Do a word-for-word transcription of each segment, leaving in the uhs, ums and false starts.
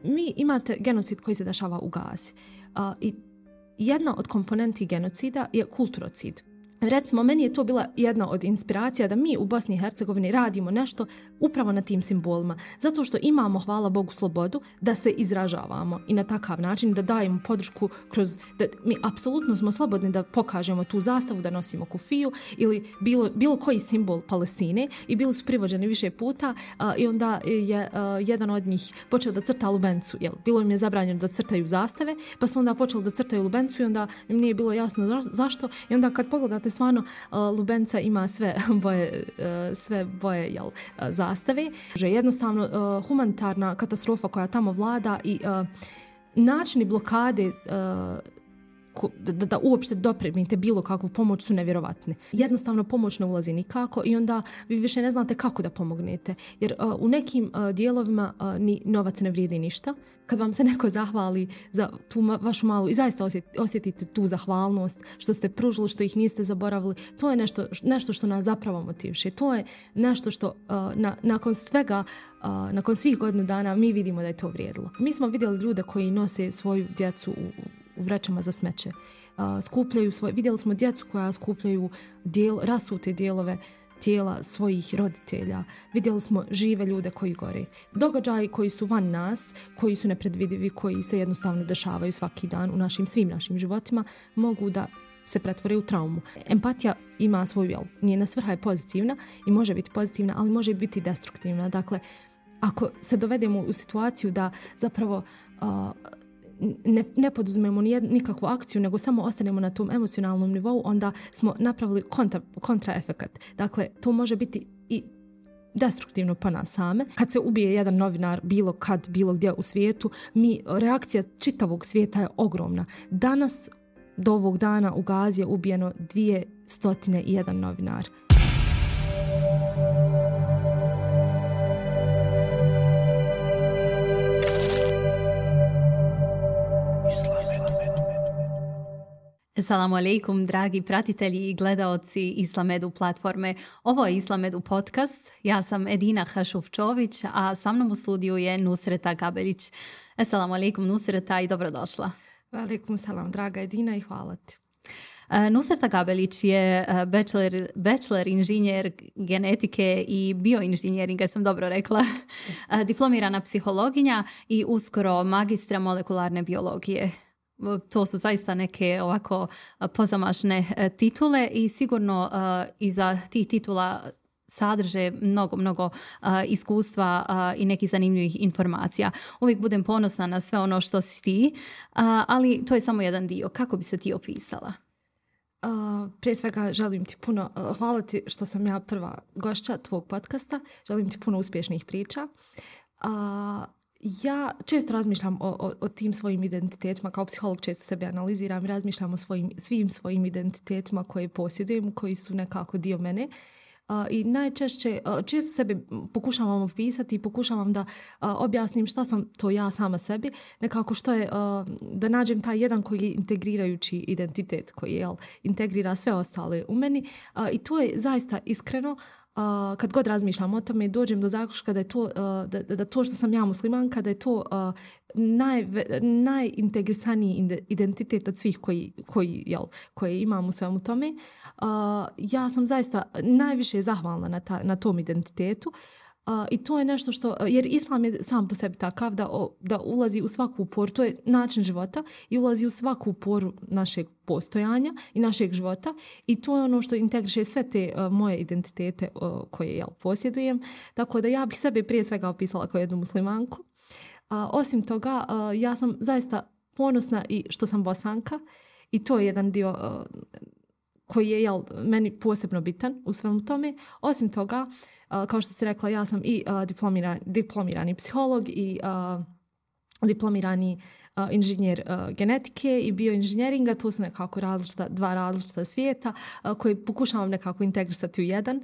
mi imate genocid koji se dešava u Gazi. Uh, I jedna od komponenti genocida je kulturocid. Recimo, meni je to bila jedna od inspiracija da mi u Bosni i Hercegovini radimo nešto upravo na tim simbolima. Zato što imamo, hvala Bogu, slobodu da se izražavamo i na takav način da dajemo podršku kroz... Da mi apsolutno smo slobodni da pokažemo tu zastavu, da nosimo kufiju ili bilo, bilo koji simbol Palestine i bili su privođeni više puta a, i onda je a, jedan od njih počeo da crta lubencu. Jel? Bilo im je zabranjeno da crtaju zastave, pa su onda počeli da crtaju lubencu i onda im nije bilo jasno za, zašto. I onda kad pogledate stvarno uh, lubenca ima sve boje, uh, sve boje jel, uh, zastave. Že jednostavno uh, humanitarna katastrofa koja tamo vlada i uh, načini blokade uh, Da, da uopšte dopremite bilo kakvu pomoć su nevjerovatni. Jednostavno pomoć ne ulazi nikako i onda vi više ne znate kako da pomognete. Jer uh, u nekim uh, dijelovima uh, ni novac ne vrijedi ništa. Kad vam se neko zahvali za tu ma- vašu malu i zaista osjet, osjetite tu zahvalnost što ste pružili, što ih niste zaboravili, to je nešto, nešto što nas zapravo motiviše. To je nešto što uh, na, nakon svega, uh, nakon svih godinu dana mi vidimo da je to vrijedilo. Mi smo vidjeli ljude koji nose svoju djecu u u vrećama za smeće. Uh, skupljaju svoje, vidjeli smo djecu koja skupljaju dijel, rasute dijelove tijela svojih roditelja. Vidjeli smo žive ljude koji gore. Događaji koji su van nas, koji su nepredvidivi, koji se jednostavno dešavaju svaki dan u našim, svim našim životima, mogu da se pretvore u traumu. Empatija ima svoju, jel, njena svrha je pozitivna i može biti pozitivna, ali može biti destruktivna. Dakle, ako se dovedemo u situaciju da zapravo uh, Ne, ne poduzmemo nikakvu akciju, nego samo ostanemo na tom emocionalnom nivou, onda smo napravili kontra, kontraefekat. Dakle, to može biti i destruktivno po nas same. Kad se ubije jedan novinar bilo kad, bilo gdje u svijetu, mi, reakcija čitavog svijeta je ogromna. Danas, do ovog dana u Gazi je ubijeno dvjesto jedan novinar. Assalamu alaikum, dragi pratitelji i gledaoci Islamedu platforme. Ovo je Islamedu podcast. Ja sam Edina Hašufčović, a sa mnom u studiju je Nusreta Gabelić. Assalamu alaikum, Nusreta, i dobrodošla. Alaikum salam, draga Edina, i hvala ti. Nusreta Gabelić je bachelor, bachelor inženjer genetike i bioinženjeringa, sam dobro rekla, diplomirana psihologinja i uskoro magistra molekularne biologije. To su zaista neke ovako pozamašne titule i sigurno uh, iza tih titula sadrže mnogo, mnogo uh, iskustva uh, i nekih zanimljivih informacija. Uvijek budem ponosna na sve ono što si ti, uh, ali to je samo jedan dio. Kako bi se ti opisala? Uh, prije svega želim ti puno, uh, hvala ti što sam ja prva gošća tvog podcasta. Želim ti puno uspješnih priča. Uh, Ja često razmišljam o, o, o tim svojim identitetima, kao psiholog često sebe analiziram i razmišljam o svojim, svim svojim identitetima koje posjedujem, koji su nekako dio mene. Uh, I najčešće, uh, često sebe pokušavam opisati i pokušavam da uh, objasnim šta sam to ja sama sebi, nekako što je, uh, da nađem taj jedan koji je integrirajući identitet, koji je, jel, integrira sve ostale u meni. Uh, I to je zaista iskreno. Uh, kad god razmišljam o tome, dođem do zaključka da je to, uh, da, da to što sam ja muslimanka, da je to uh, naj, najintegrisaniji identitet od svih koji, koji, jel, koji imam u svemu tome. Uh, ja sam zaista najviše zahvalna na, ta, na tom identitetu. Uh, I to je nešto što, jer islam je sam po sebi takav da, o, da ulazi u svaku poru, to je način života i ulazi u svaku poru našeg postojanja i našeg života i to je ono što integriše sve te uh, moje identitete uh, koje ja posjedujem. Tako da ja bih sebe prije svega opisala kao jednu muslimanku. Uh, osim toga, uh, ja sam zaista ponosna i što sam Bosanka i to je jedan dio uh, koji je, jel, meni posebno bitan u svemu tome. Osim toga, Uh, kao što si rekla, ja sam i uh, diplomiran, diplomirani psiholog i uh, diplomirani uh, inženjer uh, genetike i bioinženjeringa. To su nekako različita, dva različita svijeta uh, koje pokušavam nekako integrisati u jedan. Uh,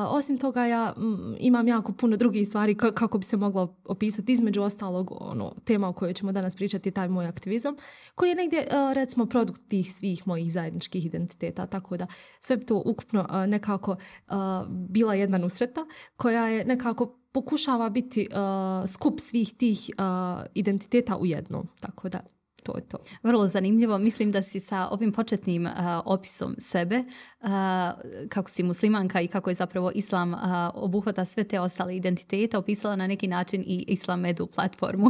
osim toga, ja m, imam jako puno drugih stvari k- kako bi se moglo opisati. Između ostalog, ono, tema o kojoj ćemo danas pričati je taj moj aktivizam, koji je negdje, uh, recimo, produkt tih svih mojih zajedničkih identiteta. Tako da sve to ukupno uh, nekako uh, bila jedna Nusreta koja je nekako pokušava biti uh, skup svih tih uh, identiteta u jednom. Tako da, to je to. Vrlo zanimljivo. Mislim da si sa ovim početnim uh, opisom sebe, uh, kako si muslimanka i kako je zapravo islam uh, obuhvata sve te ostale identitete, opisala na neki način i Islam Edu platformu.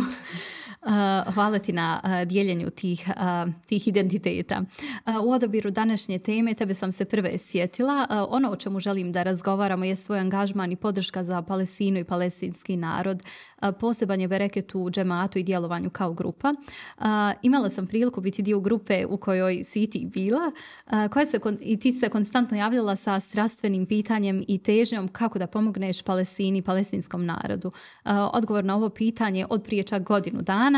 Uh, hvala ti na uh, dijeljenju tih, uh, tih identiteta. Uh, u odabiru današnje teme tebe sam se prve sjetila. Uh, ono o čemu želim da razgovaramo je svoj angažman i podrška za Palestinu i palestinski narod. Uh, poseban je bereket u džematu i djelovanju kao grupa. Uh, imala sam priliku biti dio grupe u kojoj si i ti bila, uh, koja se, i ti se konstantno javljala sa strastvenim pitanjem i težnjom kako da pomogneš Palestini i palestinskom narodu. Uh, odgovor na ovo pitanje od prije čak godinu dana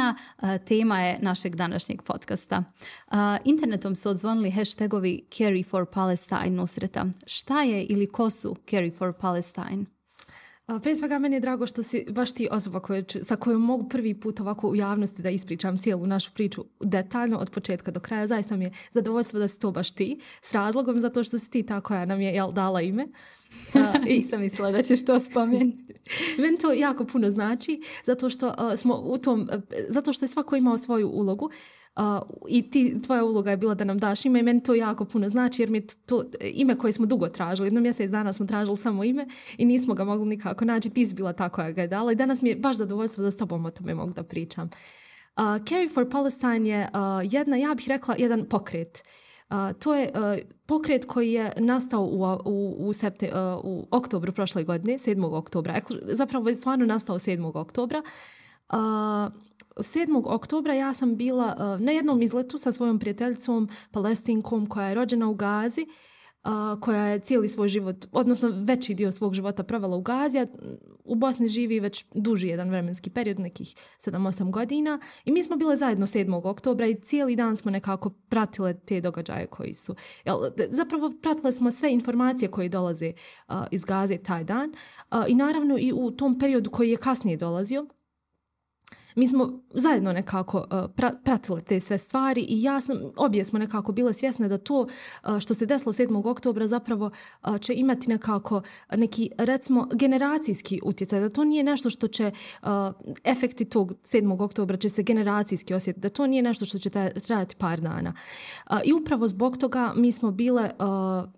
tema je našeg današnjeg podcasta. Internetom su odzvonili hashtagovi Carry for Palestine Nusreta. Šta je ili ko su Carry for Palestine? Prije svega meni je drago što si baš ti osoba koje, sa kojom mogu prvi put ovako u javnosti da ispričam cijelu našu priču detaljno od početka do kraja. Zaista mi je zadovoljstvo da si to baš ti, s razlogom zato što si ti ta koja nam je jel, dala ime. Uh, I sam mislila da ćeš to spomenuti. Meni to jako puno znači, zato što uh, smo u tom, uh, zato što je svako imao svoju ulogu. Uh, i ti, tvoja uloga je bila da nam daš ime i meni to jako puno znači jer mi je to ime koje smo dugo tražili. Jedno mjesec dana smo tražili samo ime i nismo ga mogli nikako naći. Ti si bila ta koja ga je dala i danas mi je baš zadovoljstvo da s tobom o tome mogu da pričam. Uh, Carry for Palestine je uh, jedna, ja bih rekla, jedan pokret. Uh, to je uh, pokret koji je nastao u, u, u, septe, uh, u oktobru prošle godine, sedmog oktobra. Zapravo je stvarno nastao sedmog oktobra. Uh, sedmog oktobra ja sam bila uh, na jednom izletu sa svojom prijateljicom Palestinkom koja je rođena u Gazi, uh, koja je cijeli svoj život, odnosno veći dio svog života provela u Gazi, a u Bosni živi već duži jedan vremenski period, nekih sedam osam godina. I mi smo bile zajedno sedmog oktobra i cijeli dan smo nekako pratile te događaje koji su. Jel, zapravo pratile smo sve informacije koje dolaze uh, iz Gaze taj dan. Uh, I naravno i u tom periodu koji je kasnije dolazio, mi smo zajedno nekako uh, pra, pratile te sve stvari i ja sam, obje smo nekako bile svjesne da to uh, što se desilo sedmog oktobra zapravo uh, će imati nekako neki, recimo, generacijski utjecaj, da to nije nešto što će, uh, efekti tog sedmog oktobra će se generacijski osjetiti, da to nije nešto što će trajati par dana. Uh, I upravo zbog toga mi smo bile uh,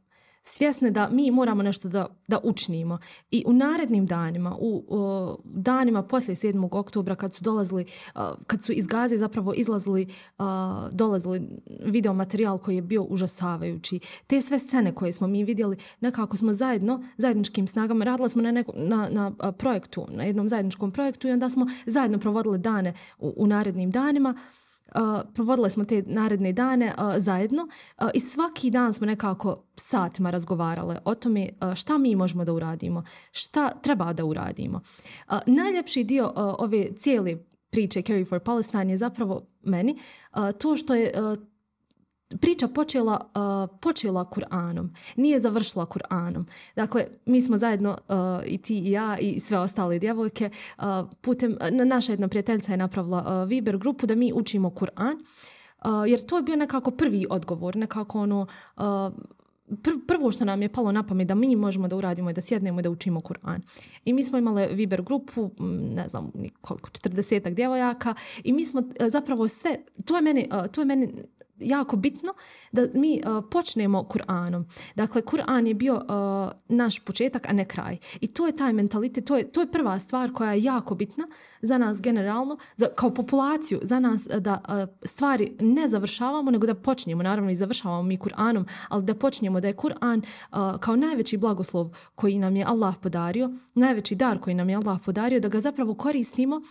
svjesne da mi moramo nešto da, da učinimo. I u narednim danima, u, u danima poslije sedmog oktobra kad su dolazili, uh, kad su iz Gaze zapravo izlazili, uh, dolazili video materijal koji je bio užasavajući. Te sve scene koje smo mi vidjeli, nekako smo zajedno, zajedničkim snagama, radila smo na, neko, na, na uh, projektu, na jednom zajedničkom projektu i onda smo zajedno provodili dane u, u narednim danima. Uh, provodile smo te naredne dane uh, zajedno uh, i svaki dan smo nekako satima razgovarale o tome uh, šta mi možemo da uradimo, šta treba da uradimo. Uh, najljepši dio uh, ove cijele priče Carry for Palestine je zapravo meni uh, to što je uh, priča počela, uh, počela Kur'anom, nije završila Kur'anom. Dakle, mi smo zajedno, uh, i ti i ja i sve ostale djevojke, uh, putem, naša jedna prijateljica je napravila uh, Viber grupu da mi učimo Kur'an, uh, jer to je bio nekako prvi odgovor, nekako ono, uh, pr- prvo što nam je palo na pamet da mi možemo da uradimo i da sjednemo i da učimo Kur'an. I mi smo imali Viber grupu, ne znam koliko, četrdesetak djevojaka i mi smo uh, zapravo sve, to je meni, uh, to je meni jako bitno da mi uh, počnemo Kur'anom. Dakle, Kur'an je bio uh, naš početak, a ne kraj. I to je taj mentalitet, to je, to je prva stvar koja je jako bitna za nas generalno, za, kao populaciju, za nas da uh, stvari ne završavamo, nego da počnemo, naravno i završavamo mi Kur'anom, ali da počnemo da je Kur'an uh, kao najveći blagoslov koji nam je Allah podario, najveći dar koji nam je Allah podario, da ga zapravo koristimo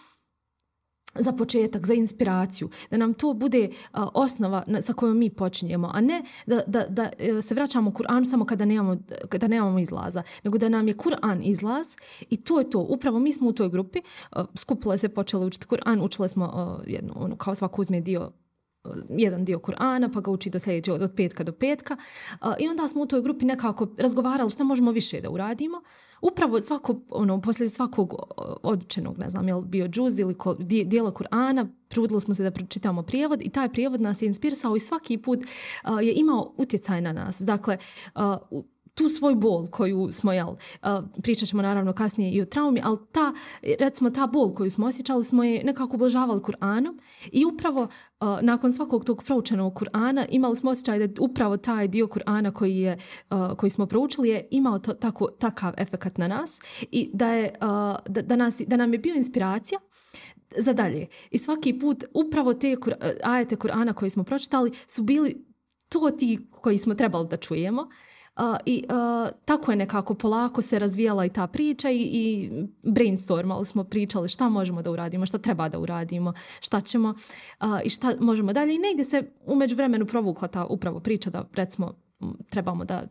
za početak, za inspiraciju, da nam to bude uh, osnova na, sa kojom mi počinjemo, a ne da, da, da uh, se vraćamo Kur'anu samo kada nemamo, kada nemamo izlaza, nego da nam je Kur'an izlaz i to je to. Upravo mi smo u toj grupi, uh, skupile se, počele učiti Kur'an, učile smo uh, jedno, ono, kao svako uzme dio, uh, jedan dio Kur'ana, pa ga uči do sljedećeg, od petka do petka. Uh, I onda smo u toj grupi nekako razgovarali što možemo više da uradimo. Upravo svako, ono, poslije svakog odučenog, ne znam, je li bio džuz ili ko, dijela Kur'ana, trudili smo se da pročitamo prijevod i taj prijevod nas je inspirisao i svaki put uh, je imao utjecaj na nas. Dakle, uh, tu svoju bol koju smo, jel, pričat ćemo naravno kasnije i o traumi, ali ta, recimo ta bol koju smo osjećali smo je nekako ublažavali Kur'anom i upravo nakon svakog tog proučenog Kur'ana imali smo osjećaj da upravo taj dio Kur'ana koji, je, koji smo proučili je imao to, tako, takav efekat na nas i da, je, da, da, nas, da nam je bio inspiracija za dalje. I svaki put upravo te kur, ajete Kur'ana koje smo pročitali su bili to ti koji smo trebali da čujemo. Uh, I uh, tako je nekako polako se razvijala i ta priča i, i brainstormali smo, pričali šta možemo da uradimo, šta treba da uradimo, šta ćemo uh, i šta možemo dalje. I negdje se u međuvremenu provukla ta upravo priča da recimo trebamo da...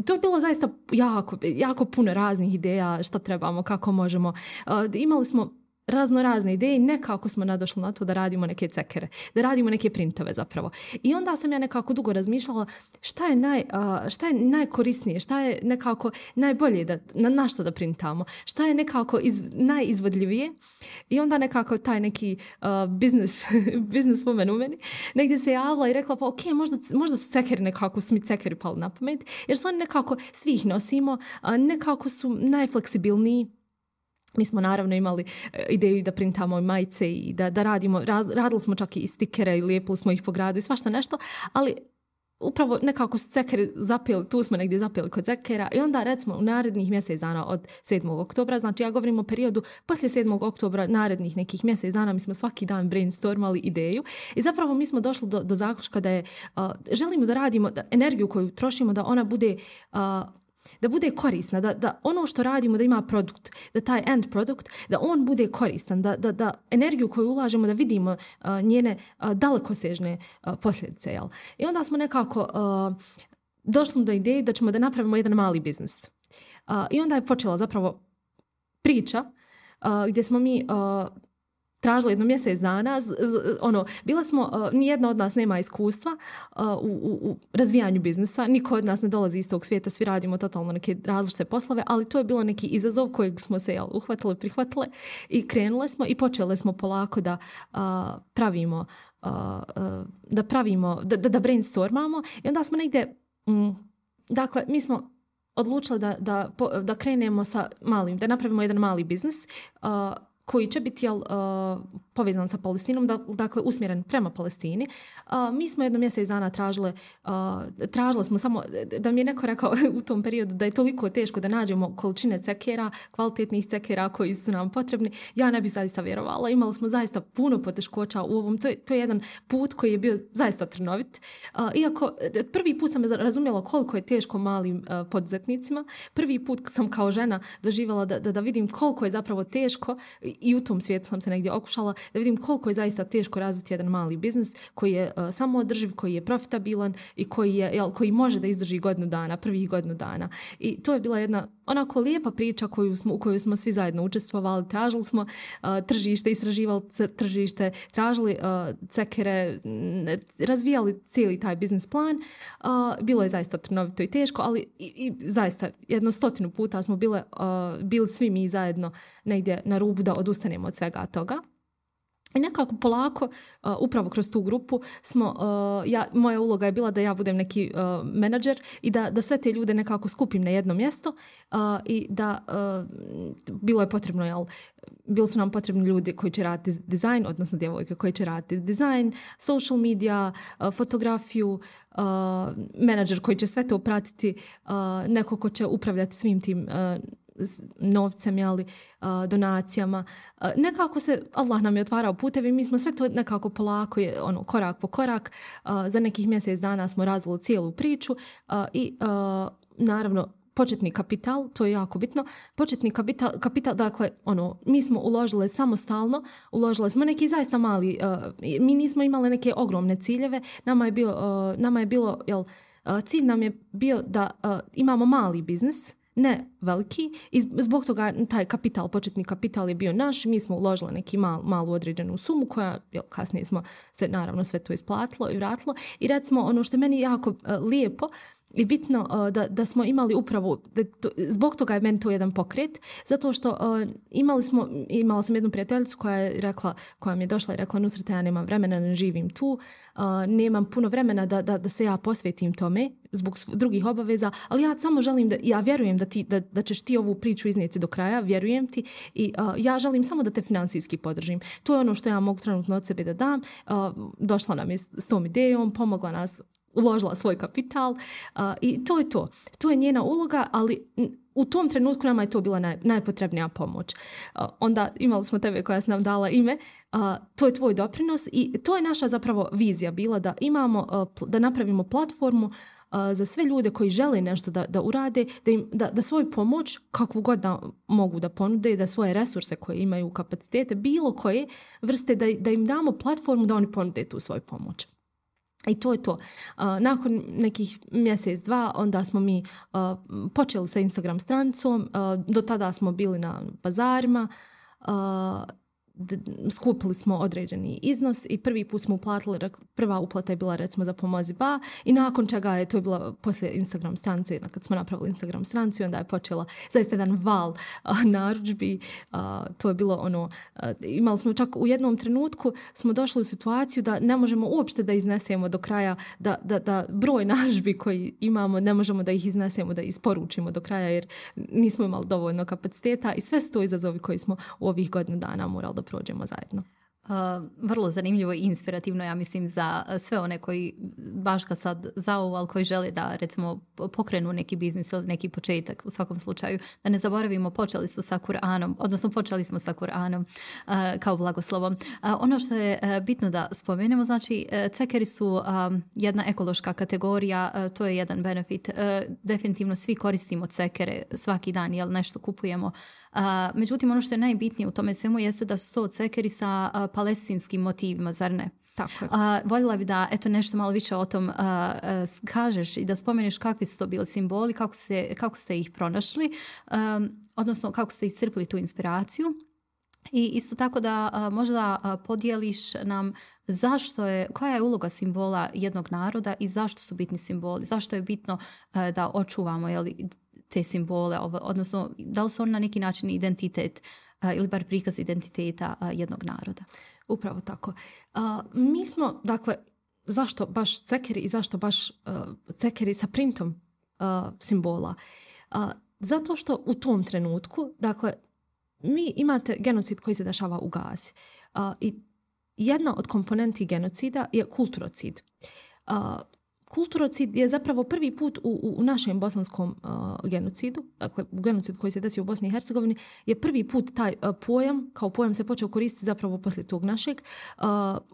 To je bilo zaista jako, jako puno raznih ideja šta trebamo, kako možemo. Uh, imali smo razno razne ideje i nekako smo nadošli na to da radimo neke cekere, da radimo neke printove zapravo. I onda sam ja nekako dugo razmišljala šta je, naj, uh, šta je najkorisnije, šta je nekako najbolje da, na, na što da printamo, šta je nekako iz, najizvodljivije. I onda nekako taj neki uh, business, business woman u meni negdje se javila i rekla pa ok, možda, možda su cekeri nekako, su mi cekeri pali na pamet, jer su oni nekako, svi ih nosimo, uh, nekako su najfleksibilniji. Mi smo naravno imali ideju da printamo majice i da, da radimo, raz, radili smo čak i stikere i lijepili smo ih po gradu i svašta nešto, ali upravo nekako su cekeri zapeli, tu smo negdje zapeli kod cekera i onda recimo u narednih mjesec dana od sedmog oktobra, znači ja govorim o periodu poslije sedmog oktobra, narednih nekih mjesec dana, mi smo svaki dan brainstormali ideju i zapravo mi smo došli do, do zaključka da je, uh, želimo da radimo, da energiju koju trošimo da ona bude... Uh, da bude korisna, da, da ono što radimo da ima produkt, da taj end produkt, da on bude koristan, da, da, da energiju koju ulažemo da vidimo uh, njene uh, dalekosežne uh, posljedice. Jel? I onda smo nekako uh, došli do ideje da ćemo da napravimo jedan mali biznis. Uh, I onda je počela zapravo priča uh, gdje smo mi... Uh, tražili jedno mjesec dana, z, z, ono, bila smo, uh, nijedna od nas nema iskustva uh, u, u, u razvijanju biznisa, niko od nas ne dolazi iz tog svijeta, svi radimo totalno neke različite poslove, ali to je bilo neki izazov kojeg smo se jel, uhvatili, prihvatili i krenule smo i počeli smo polako da uh, pravimo, uh, uh, da pravimo, da, da, da brainstormamo i onda smo negdje, mm, dakle, mi smo odlučili da, da, da krenemo sa malim, da napravimo jedan mali biznis, uh, koji će biti jel, uh, povezan sa Palestinom, da, dakle usmjeren prema Palestini. Uh, mi smo jedno mjesec dana tražile, uh, tražile smo samo, da mi je neko rekao u tom periodu da je toliko teško da nađemo količine cekera, kvalitetnih cekera koji su nam potrebni. Ja ne bih zaista vjerovala. Imali smo zaista puno poteškoća u ovom. To je, to je jedan put koji je bio zaista trnovit. Uh, iako prvi put sam razumjela koliko je teško malim uh, poduzetnicima. Prvi put sam kao žena doživjela da, da, da vidim koliko je zapravo teško i u tom svijetu sam se negdje okušala da vidim koliko je zaista teško razviti jedan mali biznis koji je uh, samoodrživ, koji je profitabilan i koji, je, jel, koji može da izdrži godinu dana, prvih godinu dana. I to je bila jedna onako lijepa priča koju smo, u kojoj smo svi zajedno učestvovali. Tražili smo uh, tržište, istraživali tržište, tražili uh, cekere, razvijali cijeli taj biznis plan. Uh, bilo je zaista trnovito i teško, ali i, i zaista jedno stotinu puta smo bile, uh, bili svi mi zajedno negdje na rubu da odustanemo od svega toga. I nekako polako, uh, upravo kroz tu grupu, smo, uh, ja, moja uloga je bila da ja budem neki uh, menadžer i da, da sve te ljude nekako skupim na jedno mjesto uh, i da uh, bilo je potrebno, jel, bili su nam potrebni ljudi koji će raditi dizajn, odnosno djevojke koji će raditi dizajn, social media, uh, fotografiju, uh, menadžer koji će sve to pratiti, uh, neko ko će upravljati svim tim uh, novcem, jeli, donacijama. Nekako se, Allah nam je otvarao putevi, mi smo sve to nekako polako, ono, korak po korak. Za nekih mjesec dana smo razvili cijelu priču i naravno početni kapital, to je jako bitno. Početni kapital, kapital dakle, ono, mi smo uložili samostalno, uložili smo neki zaista mali, mi nismo imali neke ogromne ciljeve, nama je, bio, nama je bilo, jel, cilj nam je bio da imamo mali biznis, ne veliki, i zbog toga taj kapital, početni kapital je bio naš, mi smo uložili neki mal, malu određenu sumu koja, jel, kasnije smo se naravno sve to isplatilo i vratilo i recimo ono što je meni jako uh, lijepo i bitno uh, da, da smo imali upravo, da to, zbog toga je meni to jedan pokret, zato što uh, imali smo, imala sam jednu prijateljicu koja je rekla, koja mi je došla i rekla, Nusreta, ja nemam vremena, ne živim tu, uh, nemam puno vremena da, da, da se ja posvetim tome zbog drugih obaveza, ali ja samo želim da, ja vjerujem da, ti, da, da ćeš ti ovu priču iznijeti do kraja, vjerujem ti i uh, ja želim samo da te financijski podržim. To je ono što ja mogu trenutno od sebe da dam. Uh, došla nam je s tom idejom, pomogla nas, uložila svoj kapital uh, i to je to. To je njena uloga, ali u tom trenutku nama je to bila naj, najpotrebnija pomoć. Uh, onda imali smo tebe koja se nam dala ime, uh, to je tvoj doprinos i to je naša zapravo vizija bila da imamo, uh, da napravimo platformu uh, za sve ljude koji žele nešto da, da urade, da, im, da, da svoju pomoć, kakvu god da mogu da ponude, da svoje resurse koje imaju, kapacitete, bilo koje vrste, da, da im damo platformu da oni ponude tu svoju pomoć. I to je to. Uh, nakon nekih mjesec, dva, onda smo mi uh, počeli sa Instagram stranicom. Uh, do tada smo bili na bazarima. Uh, d- skupili smo određeni iznos i prvi put smo uplatili, prva uplata je bila recimo za Pomozi Ba i nakon čega je, to je bila poslije Instagram stranice, kad smo napravili Instagram stranicu, onda je počela zaista jedan val uh, narudžbi. Uh, to je bilo ono, uh, imali smo čak u jednom trenutku smo došli u situaciju da ne možemo uopšte da iznesemo do kraja, da, da, da broj narudžbi koji imamo ne možemo da ih iznesemo, da isporučimo do kraja jer nismo imali dovoljno kapaciteta i sve su to izazovi koji smo u ovih godinu dana morali da prođemo zajedno. Uh, vrlo zanimljivo i inspirativno, ja mislim, za sve one koji baš kad sad zaovu, ali koji žele da recimo pokrenu neki biznis ili neki početak u svakom slučaju. Da ne zaboravimo, počeli su sa Kur'anom, odnosno počeli smo sa Kur'anom uh, kao blagoslovom. Uh, ono što je uh, bitno da spomenemo, znači uh, cekeri su um, jedna ekološka kategorija, uh, to je jedan benefit. Uh, definitivno svi koristimo cekere svaki dan, jel nešto kupujemo. Uh, međutim, ono što je najbitnije u tome svemu jeste da su to cekeri sa uh, palestinskim motivima, zar ne? Tako je. Uh, voljela bi da eto nešto malo više o tom uh, uh, kažeš i da spomeneš kakvi su to bili simboli, kako ste, kako ste ih pronašli, um, odnosno kako ste iscrpili tu inspiraciju. I isto tako da uh, možda uh, podijeliš nam zašto je, koja je uloga simbola jednog naroda i zašto su bitni simboli, zašto je bitno uh, da očuvamo, jeli, te simbole, odnosno da li su oni na neki način identitet uh, ili bar prikaz identiteta uh, jednog naroda. Upravo tako. Uh, mi smo, dakle, zašto baš cekeri i zašto baš uh, cekeri sa printom uh, simbola? Uh, zato što u tom trenutku, dakle, mi imate genocid koji se dešava u Gazi. Uh, I jedna od komponenti genocida je kulturocid. Uh, Kulturocid je zapravo prvi put u, u našem bosanskom uh, genocidu, dakle u genocidu koji se desio u Bosni i Hercegovini, je prvi put taj uh, pojam, kao pojam se počeo koristiti zapravo poslije tog našeg, uh,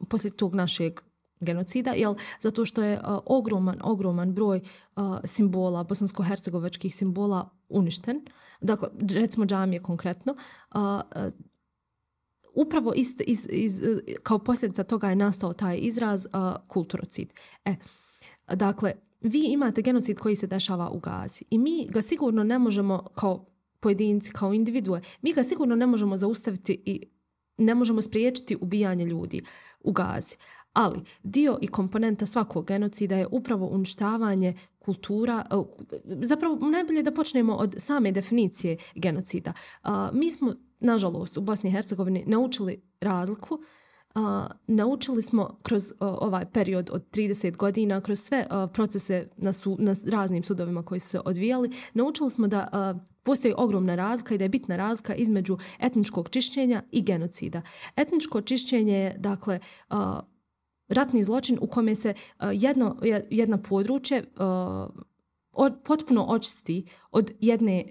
poslije tog našeg genocida, jel, zato što je uh, ogroman, ogroman broj uh, simbola, bosansko-hercegovačkih simbola uništen. Dakle, recimo džamije konkretno, uh, uh, upravo iz, iz, iz, kao posljedica toga je nastao taj izraz uh, kulturocid. E, Dakle, vi imate genocid koji se dešava u Gazi i mi ga sigurno ne možemo kao pojedinci, kao individue, mi ga sigurno ne možemo zaustaviti i ne možemo spriječiti ubijanje ljudi u Gazi. Ali dio i komponenta svakog genocida je upravo uništavanje kultura. Zapravo najbolje da počnemo od same definicije genocida. Mi smo, nažalost, u Bosni i Hercegovini naučili razliku. Uh, naučili smo kroz uh, ovaj period od trideset godina, kroz sve uh, procese na, su, na raznim sudovima koji su se odvijali, naučili smo da uh, postoji ogromna razlika i da je bitna razlika između etničkog čišćenja i genocida. Etničko čišćenje je, dakle, uh, ratni zločin u kome se uh, jedno, jedna područje uh, od, potpuno očisti od jedne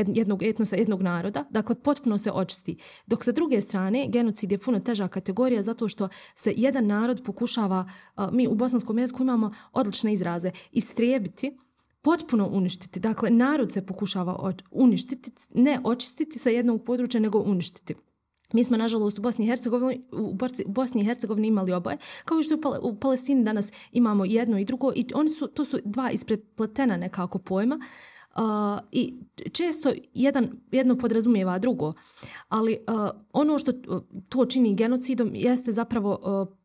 jednog etnosa, jednog naroda, dakle potpuno se očisti. Dok sa druge strane, genocid je puno teža kategorija zato što se jedan narod pokušava, uh, mi u bosanskom jeziku imamo odlične izraze, istrijebiti, potpuno uništiti. Dakle, narod se pokušava uništiti, ne očistiti sa jednog područja, nego uništiti. Mi smo, nažalost, u Bosni i Hercegovini, u Bosni i Hercegovini imali oboje, kao što u Palestini danas imamo jedno i drugo i oni su, to su dva isprepletena nekako pojma. Uh, i često jedan, jedno podrazumijeva drugo, ali uh, ono što to čini genocidom jeste zapravo uh,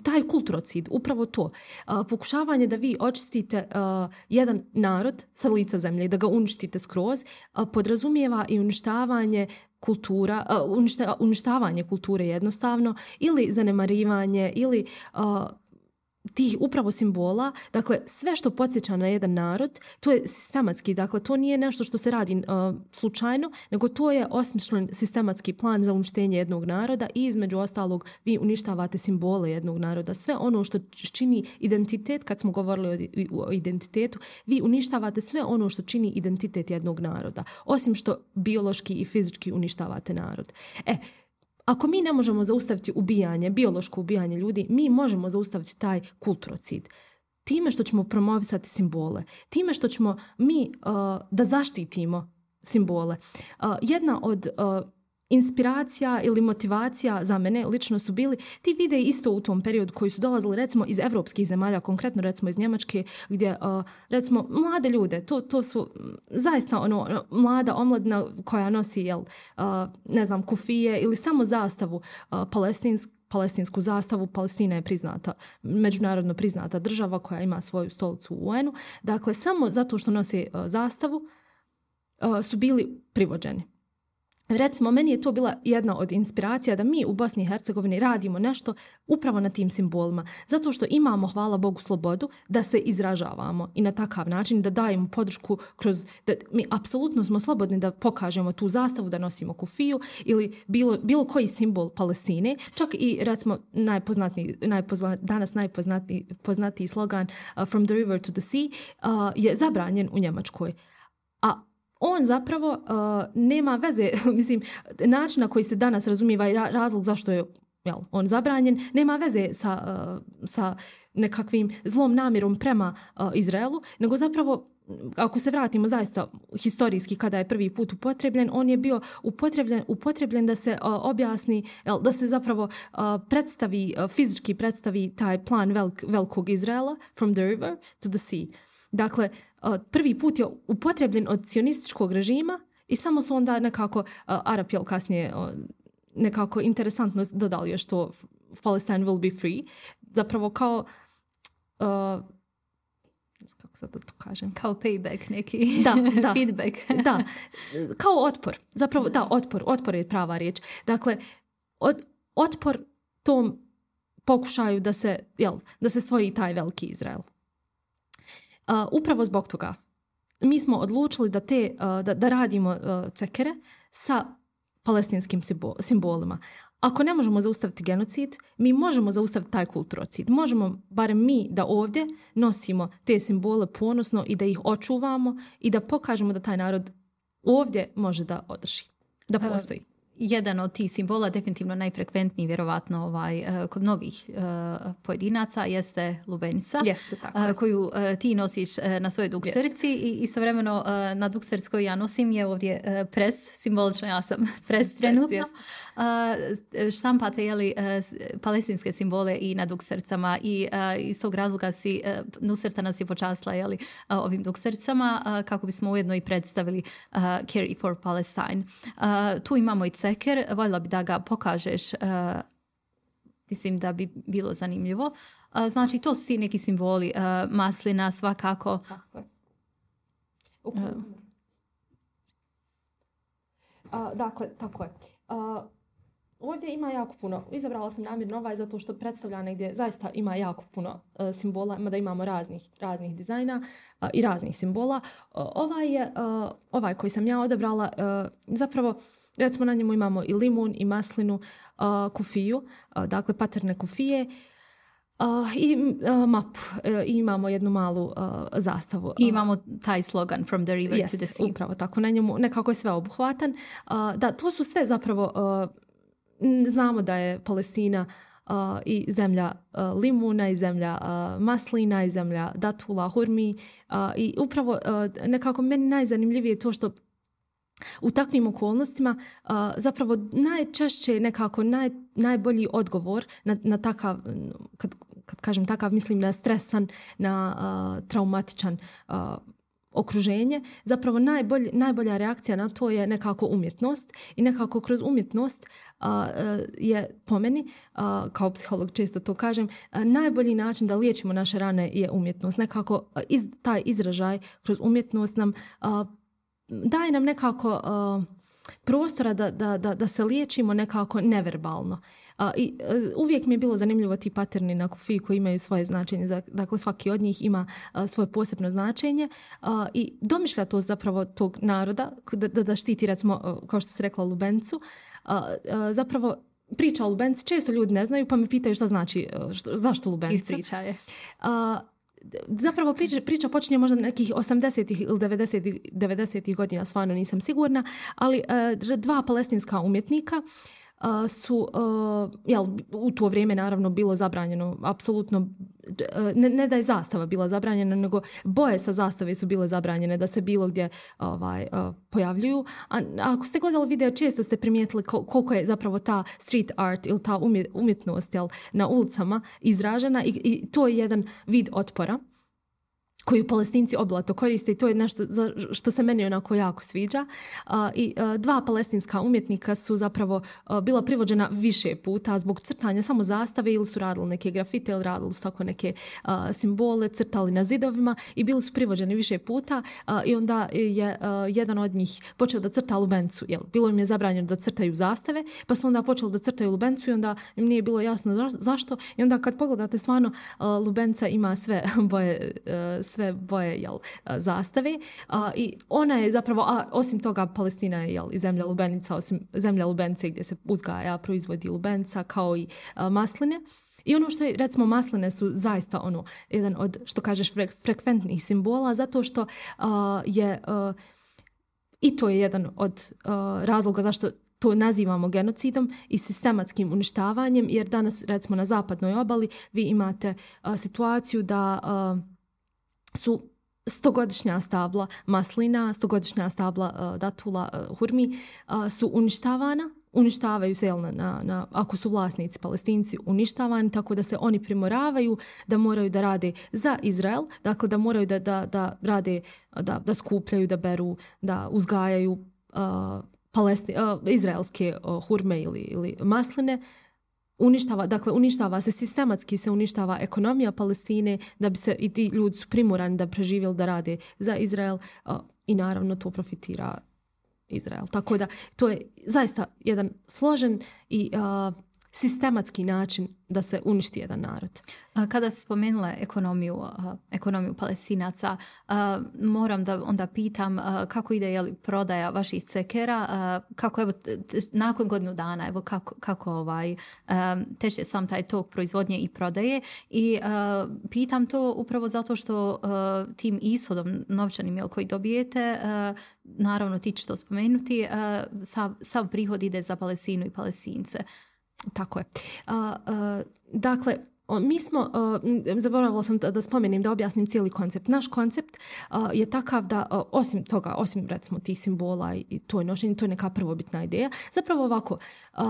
taj kulturocid, upravo to. Uh, pokušavanje da vi očistite uh, jedan narod sa lica zemlje i da ga uništite skroz, uh, podrazumijeva i uništavanje kultura, uh, uništa, uništavanje kulture jednostavno ili zanemarivanje ili uh, tih upravo simbola. Dakle, sve što podsjeća na jedan narod, to je sistematski. Dakle, to nije nešto što se radi uh, slučajno, nego to je osmišljen sistematski plan za uništenje jednog naroda i između ostalog vi uništavate simbole jednog naroda. Sve ono što čini identitet, kad smo govorili o, o identitetu, vi uništavate sve ono što čini identitet jednog naroda. Osim što biološki i fizički uništavate narod. E, Ako mi ne možemo zaustaviti ubijanje, biološko ubijanje ljudi, mi možemo zaustaviti taj kulturocid. Time što ćemo promovisati simbole, time što ćemo mi uh, da zaštitimo simbole. Uh, jedna od uh, inspiracija ili motivacija za mene lično su bili ti videi isto u tom periodu koji su dolazili recimo iz evropskih zemalja, konkretno recimo iz Njemačke, gdje uh, recimo mlade ljude, to, to su zaista ono, mlada omladina koja nosi jel, uh, ne znam, kufije ili samo zastavu uh, palestinsku, palestinsku zastavu. Palestina je priznata, međunarodno priznata država koja ima svoju stolicu u U N-u. Dakle, samo zato što nose uh, zastavu uh, su bili privođeni. Recimo, meni je to bila jedna od inspiracija da mi u Bosni i Hercegovini radimo nešto upravo na tim simbolima. Zato što imamo, hvala Bogu, slobodu da se izražavamo i na takav način da dajemo podršku kroz, da mi apsolutno smo slobodni da pokažemo tu zastavu, da nosimo kufiju ili bilo, bilo koji simbol Palestine. Čak i recimo najpoznatiji, najpozna, danas najpoznatiji poznatiji slogan uh, From the river to the sea uh, je zabranjen u Njemačkoj. A on zapravo uh, nema veze, mislim, način na koji se danas razumijeva i razlog zašto je jel, on zabranjen, nema veze sa, uh, sa nekakvim zlom namjerom prema uh, Izraelu, nego zapravo, ako se vratimo zaista historijski kada je prvi put upotrebljen, on je bio upotrebljen, upotrebljen da se uh, objasni, jel, da se zapravo uh, predstavi, uh, fizički predstavi taj plan velik, velikog Izraela, from the river to the sea. Dakle, prvi put je upotrebljen od sionističkog režima i samo su onda nekako uh, Arapi kasnije uh, nekako interesantno dodali još to Palestine will be free. Zapravo kao uh, kako sad da to kažem? Kao payback neki. Da, da. Feedback. Da, kao otpor. Zapravo, da, otpor. Otpor je prava riječ. Dakle, od, otpor tom pokušaju da se, jel, da se stvori taj veliki Izrael. Uh, upravo zbog toga mi smo odlučili da, te, uh, da, da radimo uh, cekere sa palestinskim simbolima. Ako ne možemo zaustaviti genocid, mi možemo zaustaviti taj kulturocid. Možemo, barem mi, da ovdje nosimo te simbole ponosno i da ih očuvamo i da pokažemo da taj narod ovdje može da održi, da postoji. Uh. Jedan od tih simbola, definitivno najfrekventniji, vjerovatno ovaj, kod mnogih uh, pojedinaca, jeste lubenica. Jeste, tako. Uh, koju uh, ti nosiš uh, na svojoj duksterici i istovremeno uh, na duksterici koju ja nosim je ovdje uh, pres, simbolično ja sam pres trenutno. Yes, yes. Uh, štampate jeli, uh, palestinske simbole i na dukstericama i uh, iz tog razloga si, uh, Nusreta nas je počastila jeli, uh, ovim dukstericama uh, kako bismo ujedno i predstavili uh, Carry for Palestine. Uh, tu imamo i ceker, voljela bi da ga pokažeš, uh, mislim da bi bilo zanimljivo. Uh, znači, to su ti neki simboli, uh, maslina svakako. Tako je. Uh. Uh, dakle, tako je. Uh, ovdje ima jako puno, izabrala sam namjerno ovaj zato što predstavlja negdje zaista ima jako puno uh, simbola, mada imamo raznih, raznih dizajna uh, i raznih simbola. Uh, ovaj je, uh, ovaj koji sam ja odabrala, uh, zapravo recimo na njemu imamo i limun i maslinu, uh, kufiju, uh, dakle paterne kufije uh, i uh, mapu. Uh, i imamo jednu malu uh, zastavu. I imamo taj slogan From the river yes, to the sea. Upravo tako, na njemu nekako je sve obuhvatan. Uh, da, to su sve zapravo, uh, znamo da je Palestina uh, i zemlja uh, limuna i zemlja uh, maslina i zemlja datula, hurmi uh, i upravo uh, nekako meni najzanimljivije je to što u takvim okolnostima uh, zapravo najčešće nekako naj, najbolji odgovor na, na takav, kad, kad kažem takav, mislim na stresan, na uh, traumatičan uh, okruženje, zapravo najbolj, najbolja reakcija na to je nekako umjetnost i nekako kroz umjetnost uh, je po meni, uh, kao psiholog često to kažem, uh, najbolji način da liječimo naše rane je umjetnost. Nekako uh, iz, taj izražaj kroz umjetnost nam uh, daje nam nekako uh, prostora da, da, da, da se liječimo nekako neverbalno. Uh, i, uh, uvijek mi je bilo zanimljivo ti paterni na kufiji koji imaju svoje značenje. Dakle, svaki od njih ima uh, svoje posebno značenje uh, i domišlja to zapravo tog naroda da, da, da štiti, recimo, uh, kao što se rekla, lubencu. Uh, uh, zapravo priča o lubenci često ljudi ne znaju pa me pitaju šta znači, uh, što, zašto lubenca. Ispriča je. Uh, Zapravo priča, priča počinje možda nekih osamdesetih ili devedesetih, devedesetih godina, stvarno nisam sigurna, ali uh, dva palestinska umjetnika uh, su, uh, jel, u to vrijeme naravno bilo zabranjeno, apsolutno, uh, ne, ne da je zastava bila zabranjena, nego boje sa zastave su bile zabranjene da se bilo gdje ovaj, uh, pojavljuju. A, a ako ste gledali video, često ste primijetili kol, koliko je zapravo ta street art ili ta umjetnost, jel, na ulicama izražena i, i to je jedan vid otpora koju Palestinci obilato koriste i to je nešto za što se meni onako jako sviđa. Uh, I uh, dva palestinska umjetnika su zapravo uh, bila privođena više puta zbog crtanja samo zastave ili su radili neke grafite ili radili su tako neke uh, simbole, crtali na zidovima i bili su privođeni više puta uh, i onda je uh, jedan od njih počeo da crta lubencu. Jel? Bilo im je zabranjeno da crtaju zastave, pa su onda počeli da crtaju lubencu i onda im nije bilo jasno za, zašto. I onda kad pogledate stvarno uh, lubenca ima sve boje uh, sve boje, jel, zastave a, i ona je zapravo, a osim toga Palestina je, jel, i zemlja lubenica, osim zemlja lubence gdje se uzgaja, proizvodi lubenca kao i a, masline. I ono što je, recimo, masline su zaista ono, jedan od, što kažeš, frek, frekventnih simbola, zato što a, je a, i to je jedan od a, razloga zašto to nazivamo genocidom i sistematskim uništavanjem, jer danas, recimo, na zapadnoj obali vi imate a, situaciju da a, su stogodišnja stabla maslina, stogodišnja stabla uh, datula, uh, hurmi uh, su uništavana, uništavaju se, jel, na, na, na, ako su vlasnici Palestinci uništavani, tako da se oni primoravaju da moraju da rade za Izrael, dakle da moraju da, da, da rade, da, da skupljaju, da beru, da uzgajaju uh, palesti, uh, izraelske uh, hurme ili, ili masline. Uništava, dakle, uništava se sistematski, se uništava ekonomija Palestine da bi se i ti ljudi su primorani da preživjeli, da rade za Izrael uh, i naravno to profitira Izrael. Tako da to je zaista jedan složen i uh, sistematski način da se uništi jedan narod. Kada si spomenula ekonomiju, ekonomiju Palestinaca, moram da onda pitam kako ide, jeli, prodaja vaših cekera, kako evo nakon godinu dana, evo kako, kako ovaj, teče sam taj tok proizvodnje i prodaje i pitam to upravo zato što tim ishodom novčanim, jel, koji dobijete, naravno ti ćeš to spomenuti, sav, sav prihod ide za Palestinu i Palestince. Tako je. Uh, uh, dakle, mi smo, uh, zaboravila sam da, da spomenem, da objasnim cijeli koncept. Naš koncept uh, je takav da, uh, osim toga, osim recimo tih simbola i, i to je nošenje, to je neka prvobitna ideja. Zapravo ovako, uh,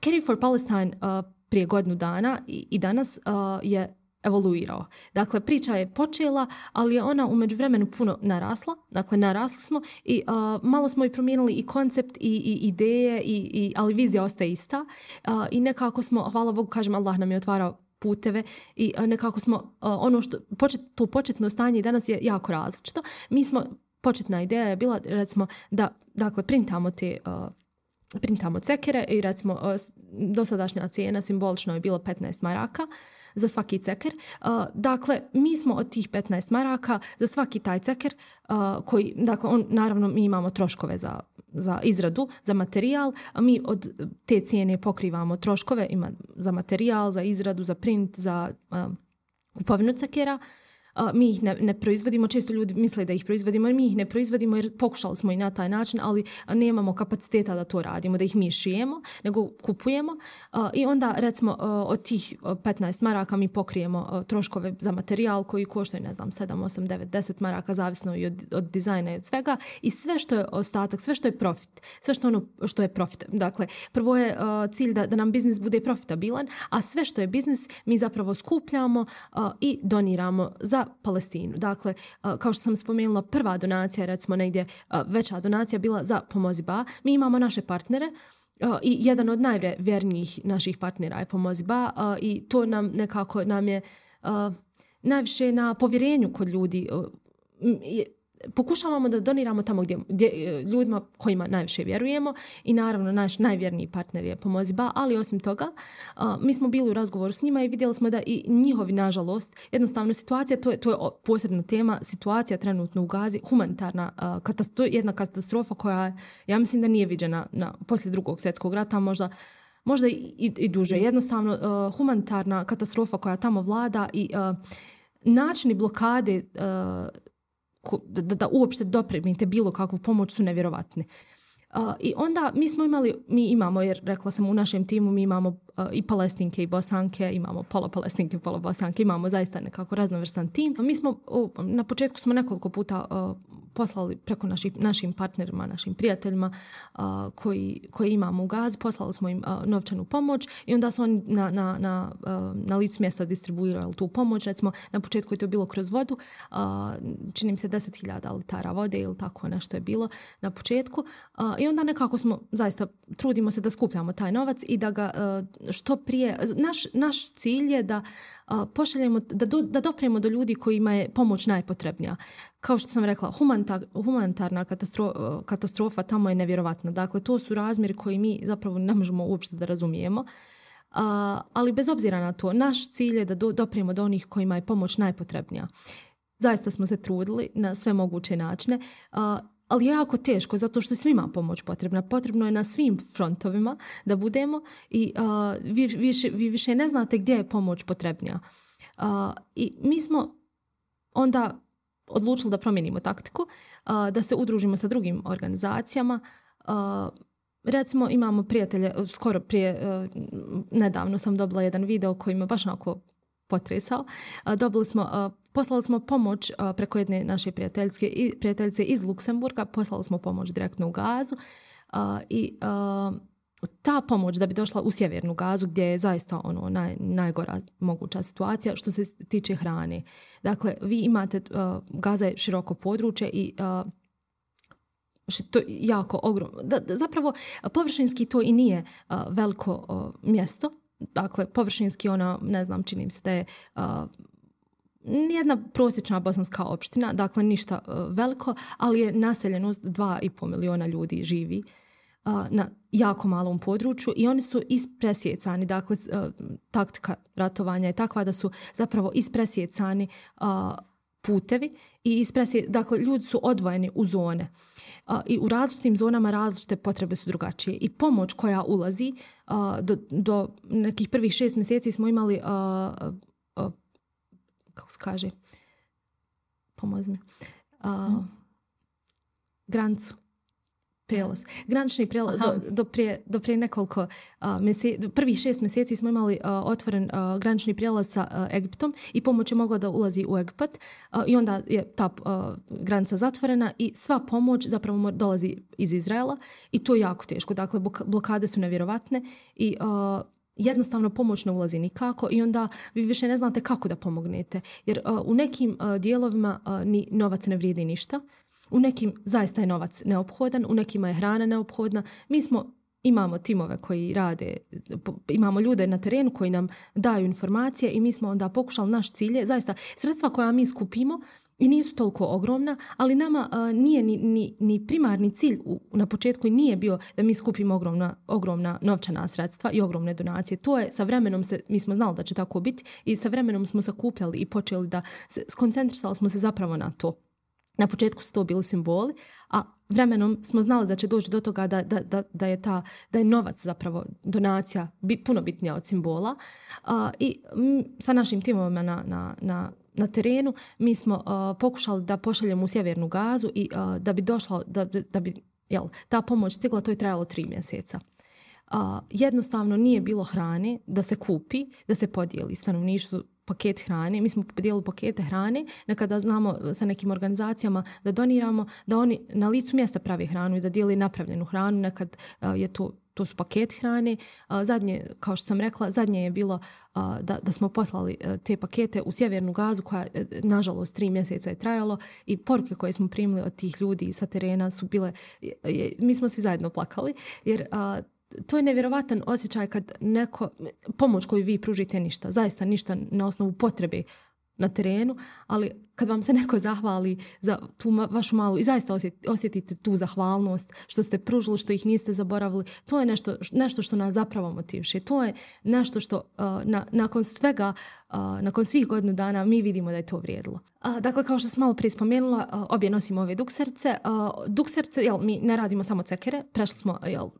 Caring for Palestine uh, prije godinu dana i, i danas uh, je evoluirao. Dakle, priča je počela, ali je ona u međuvremenu puno narasla. Dakle, narasli smo i uh, malo smo i promijenili i koncept i, i ideje, i, i, ali vizija ostaje ista. Uh, I nekako smo, hvala Bogu, kažem, Allah nam je otvarao puteve i uh, nekako smo, uh, ono što, počet, to početno stanje danas je jako različito. Mi smo, početna ideja je bila, recimo, da, dakle, printamo te uh, printamo cekere i recimo uh, dosadašnja cijena simbolično je bila petnaest maraka za svaki ceker. Uh, dakle, mi smo od tih petnaest maraka za svaki taj ceker uh, koji, dakle, on, naravno mi imamo troškove za, za izradu, za materijal, a mi od te cijene pokrivamo troškove ima za materijal, za izradu, za print, za uh, kupovinu cekera. Uh, mi ih ne, ne proizvodimo, često ljudi misle da ih proizvodimo, jer mi ih ne proizvodimo jer pokušali smo i na taj način, ali nemamo kapaciteta da to radimo, da ih mi šijemo, nego kupujemo uh, i onda recimo uh, od tih petnaest maraka mi pokrijemo uh, troškove za materijal koji koštaju, ne znam, sedam, osam, devet, deset maraka, zavisno i od, od dizajna i od svega i sve što je ostatak, sve što je profit, sve što, ono, što je profit. Dakle, prvo je uh, cilj da, da nam biznis bude profitabilan, a sve što je biznis mi zapravo skupljamo uh, i doniramo za Palestinu. Dakle, kao što sam spomenula, prva donacija, recimo negdje veća donacija bila za Pomozi Ba. Mi imamo naše partnere i jedan od najvjernijih naših partnera je Pomozi Ba i to nam nekako nam je najviše na povjerenju kod ljudi. Pokušavamo da doniramo tamo gdje, gdje ljudima kojima najviše vjerujemo i naravno naš najvjerniji partner je Pomozi Ba, ali osim toga a, mi smo bili u razgovoru s njima i vidjeli smo da i njihovi, nažalost, jednostavno situacija, to je, to je posebna tema, situacija trenutno u Gazi, humanitarna a, katastrofa, jedna katastrofa koja ja mislim da nije viđena na, poslije drugog svjetskog rata, možda možda i, i, i duže. Jednostavno uh, humanitarna katastrofa koja tamo vlada i uh, načini blokade uh, Da, da uopšte dopremite bilo kakvu pomoć su nevjerovatni. Uh, I onda mi smo imali, mi imamo, jer rekla sam u našem timu, mi imamo uh, i Palestinke i Bosanke, imamo pola Palestinke i pola Bosanke, imamo zaista nekako raznovrstan tim. Mi smo, uh, na početku smo nekoliko puta uh, poslali preko naših, našim partnerima, našim prijateljima uh, koji, koji imamo u Gazi, poslali smo im uh, novčanu pomoć i onda su oni na, na, na, uh, na licu mjesta distribuirali tu pomoć. Recimo, na početku je to bilo kroz vodu, uh, čini mi se deset hiljada litara vode ili tako nešto je bilo na početku. Uh, I onda nekako smo, zaista, trudimo se da skupljamo taj novac i da ga uh, što prije, naš, naš cilj je da uh, pošaljemo, da, do, da dopremo do ljudi kojima je pomoć najpotrebnija. Kao što sam rekla, humanitar, humanitarna katastrofa, katastrofa tamo je nevjerovatna. Dakle, to su razmjeri koji mi zapravo ne možemo uopšte da razumijemo. Uh, ali bez obzira na to, naš cilj je da do, dopremo do onih kojima je pomoć najpotrebnija. Zaista smo se trudili na sve moguće načine, uh, ali je jako teško zato što je svima pomoć potrebna. Potrebno je na svim frontovima da budemo i uh, vi, više, vi više ne znate gdje je pomoć potrebnija. Uh, I mi smo onda odlučili da promijenimo taktiku, uh, da se udružimo sa drugim organizacijama. Uh, recimo imamo prijatelje, skoro prije, uh, nedavno sam dobila jedan video koji me baš onako potresao. Uh, dobili smo, uh, poslali smo pomoć uh, preko jedne naše prijateljske, prijateljice iz Luksemburga, poslali smo pomoć direktno u Gazu uh, i uh, ta pomoć da bi došla u sjevernu Gazu gdje je zaista ono naj, najgora moguća situacija što se tiče hrane. Dakle, vi imate, uh, Gaza je široko područje i uh, što je jako ogromno. Da, da, zapravo, površinski to i nije uh, veliko uh, mjesto. Dakle, površinski ona, ne znam, čini mi se da je uh, nijedna prosječna bosanska opština, dakle ništa uh, veliko, ali je naseljenost dva i pol miliona ljudi živi na jako malom području i oni su ispresjecani, dakle taktika ratovanja je takva da su zapravo ispresjecani putevi i ispresje, dakle ljudi su odvojeni u zone i u različitim zonama različite potrebe su drugačije i pomoć koja ulazi do, do nekih prvih šest mjeseci smo imali kako se kaže pomozi mi granicu prijelaz. Granični prijelaz do, do, prije, do prije nekoliko uh, mjeseci, prvih šest mjeseci smo imali uh, otvoren uh, granični prijelaz sa uh, Egiptom i pomoć je mogla da ulazi u Egipat uh, i onda je ta uh, granica zatvorena i sva pomoć zapravo dolazi iz Izraela i to je jako teško. Dakle, blokade su nevjerovatne i uh, jednostavno pomoć ne ulazi nikako i onda vi više ne znate kako da pomognete. Jer uh, u nekim uh, dijelovima uh, ni novac ne vrijedi ništa. U nekim zaista je novac neophodan, u nekima je hrana neophodna. Mi smo, imamo timove koji rade, imamo ljude na terenu koji nam daju informacije i mi smo onda pokušali naš cilje, zaista sredstva koja mi skupimo i nisu toliko ogromna, ali nama uh, nije ni, ni, ni primarni cilj u, na početku i nije bio da mi skupimo ogromna, ogromna novčana sredstva i ogromne donacije. To je sa vremenom, se, mi smo znali da će tako biti i sa vremenom smo sakupljali i počeli da se, skoncentrisali smo se zapravo na to. Na početku su to bili simboli, a vremenom smo znali da će doći do toga da, da, da, da, je, ta, da je novac zapravo donacija bit, puno bitnija od simbola. A, I m, sa našim timovima na, na, na, na terenu mi smo a, pokušali da pošaljemo u sjevernu Gazu i a, da bi došla, da, da bi jel, ta pomoć stigla, to je trajalo tri mjeseca. A, jednostavno nije bilo hrane da se kupi, da se podijeli stanovništvu paket hrane. Mi smo podijelili pakete hrane, nekada znamo sa nekim organizacijama da doniramo, da oni na licu mjesta pravi hranu i da dijeli napravljenu hranu, nekad uh, je to, to su paketi hrane. Zadnje, kao što sam rekla, zadnje je bilo da, da smo poslali te pakete u Sjevernu Gazu koja, nažalost, tri mjeseca je trajalo i poruke koje smo primili od tih ljudi sa terena su bile, mi smo svi zajedno plakali, jer to je nevjerovatan osjećaj kad neko, pomoć koju vi pružite ništa, zaista ništa na osnovu potrebe na terenu, ali kad vam se neko zahvali za tu vašu malu i zaista osjetite tu zahvalnost što ste pružili, što ih niste zaboravili, to je nešto, nešto što nas zapravo motiviše. To je nešto što uh, na, nakon svega, uh, nakon svih godinu dana mi vidimo da je to vrijedilo. Uh, dakle, kao što sam malo prije spomenula, uh, obje nosimo ove dukserce. Uh, dukserce, jel, mi ne radimo samo cekere, prešli smo, jel, uh,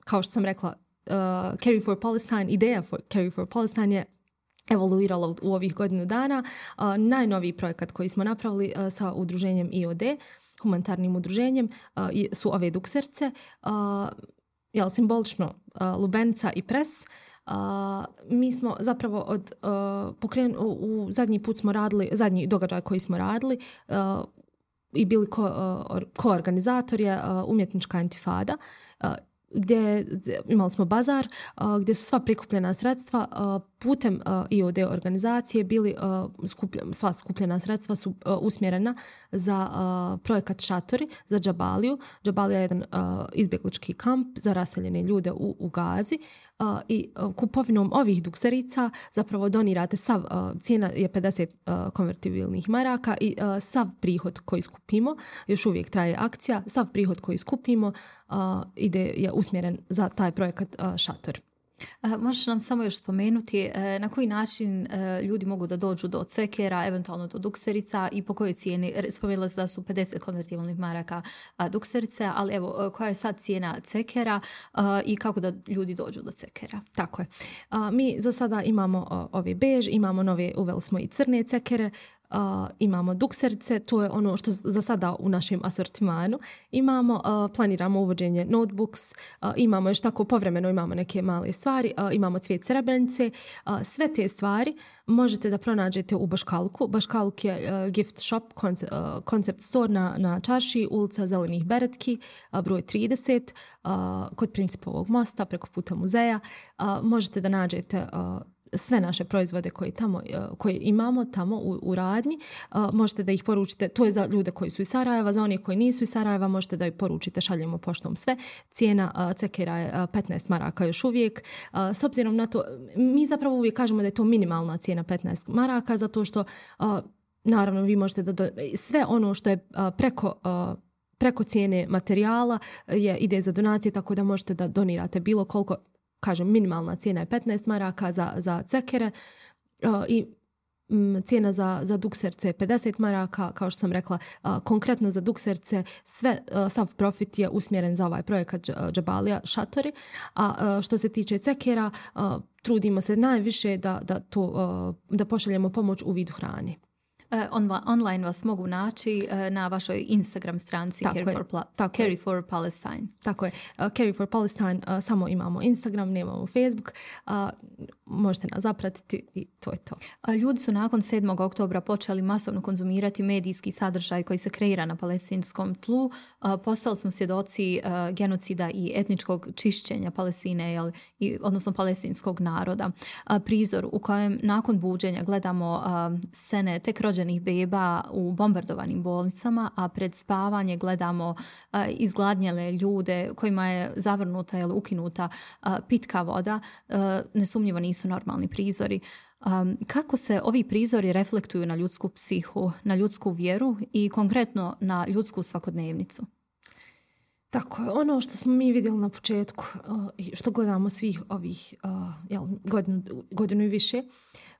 kao što sam rekla, uh, Carry for Palestine, ideja for Carry for Palestine je evoluirala u ovih godinu dana. Uh, najnoviji projekat koji smo napravili uh, sa udruženjem I O D, humanitarnim udruženjem, uh, su ove dukserce. Uh, jel, simbolično uh, lubenica i pres. Uh, mi smo zapravo od uh, pokren, u, u zadnji put smo radili, zadnji događaj koji smo radili uh, i bili ko, uh, koorganizator je uh, umjetnička intifada, uh, gdje imali smo bazar uh, gdje su sva prikupljena sredstva uh, putem uh, I O D organizacije bili uh, skupljen, sva skupljena sredstva su uh, usmjerena za uh, projekat Šatori za Džabaliju. Džabalija je jedan uh, izbjeglički kamp za raseljene ljude u, u Gazi uh, i uh, kupovinom ovih dukserica zapravo donirate sav, uh, cijena je pedeset uh, konvertibilnih maraka i uh, sav prihod koji skupimo, još uvijek traje akcija, sav prihod koji skupimo uh, ide je usmjeren za taj projekat uh, Šator. Možeš nam samo još spomenuti na koji način ljudi mogu da dođu do cekera, eventualno do dukserica i po kojoj cijeni? Spomenula se da su pedeset konvertibilnih maraka dukserice, ali evo, koja je sad cijena cekera i kako da ljudi dođu do cekera? Tako je. Mi za sada imamo ove bež, imamo nove, uveli smo i crne cekere, Uh, imamo dukserice, to je ono što za sada u našem asortimanu. Imamo, uh, planiramo uvođenje notebooks, uh, imamo još tako povremeno, imamo neke male stvari, uh, imamo cvijet srebrenice. Uh, sve te stvari možete da pronađete u Baškalku. Baškaluk je uh, gift shop, koncept, uh, concept store na, na Čarši, ulica Zelenih Beretki, uh, broj trideset, uh, kod Principovog mosta, preko puta muzeja. Uh, možete da nađete uh, sve naše proizvode koje, tamo, koje imamo tamo u, u radnji. Uh, možete da ih poručite, to je za ljude koji su iz Sarajeva, za one koji nisu iz Sarajeva možete da ih poručite, šaljemo poštom sve. Cijena uh, cekera je uh, petnaest maraka još uvijek. Uh, s obzirom na to, mi zapravo uvijek kažemo da je to minimalna cijena petnaest maraka, zato što uh, naravno vi možete da do, sve ono što je uh, preko uh, preko cijene materijala je, ide za donacije, tako da možete da donirate bilo koliko. Kažem, minimalna cijena je petnaest maraka za, za cekere uh, i um, cijena za, za dukserce je pedeset maraka, kao što sam rekla, uh, konkretno za dukserce sve, uh, sav profit je usmjeren za ovaj projekat Džabalija Šatori, a uh, što se tiče cekera, uh, trudimo se najviše da, da, to, uh, da pošaljemo pomoć u vidu hrane. On, online vas mogu naći na vašoj Instagram stranci Carry for, Pla- Carry for Palestine. Tako je. Uh, Carry for Palestine uh, samo imamo Instagram, nemamo Facebook. Uh, možete nas zapratiti i to je to. Ljudi su nakon sedmog oktobra počeli masovno konzumirati medijski sadržaj koji se kreira na palestinskom tlu. Uh, postali smo svjedoci uh, genocida i etničkog čišćenja Palestine, jel, i, odnosno palestinskog naroda. Uh, prizor u kojem nakon buđenja gledamo uh, scene tek rođenih beba u bombardovanim bolnicama, a pred spavanje gledamo uh, izgladnjele ljude kojima je zavrnuta ili ukinuta uh, pitka voda, uh, nesumnjivo nisu normalni prizori. Um, kako se ovi prizori reflektuju na ljudsku psihu, na ljudsku vjeru i konkretno na ljudsku svakodnevnicu? Tako je, ono što smo mi vidjeli na početku i uh, što gledamo svih ovih uh, jel, godinu, godinu i više,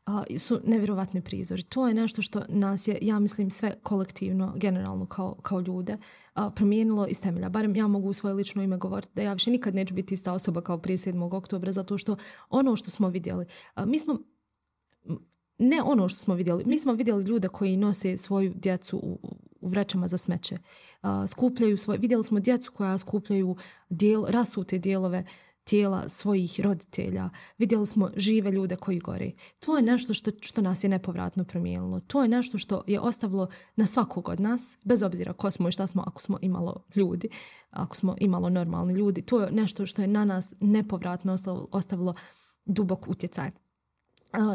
Uh, su nevjerovatni prizori. To je nešto što nas je, ja mislim, sve kolektivno, generalno kao, kao ljude uh, promijenilo iz temelja. Barem ja mogu u svoje lično ime govoriti da ja više nikad neću biti ista osoba kao prije sedmog oktobra, zato što ono što smo vidjeli, uh, mi smo, ne ono što smo vidjeli, mi smo vidjeli ljude koji nose svoju djecu u, u vrećama za smeće. Uh, skupljaju svoje, vidjeli smo djecu koja skupljaju dijel, rasute dijelove tijela svojih roditelja, vidjeli smo žive ljude koji gore. To je nešto što, što nas je nepovratno promijenilo. To je nešto što je ostavilo na svakog od nas, bez obzira ko smo i šta smo, ako smo imalo ljudi, ako smo imalo normalni ljudi. To je nešto što je na nas nepovratno ostavilo, ostavilo dubok utjecaj.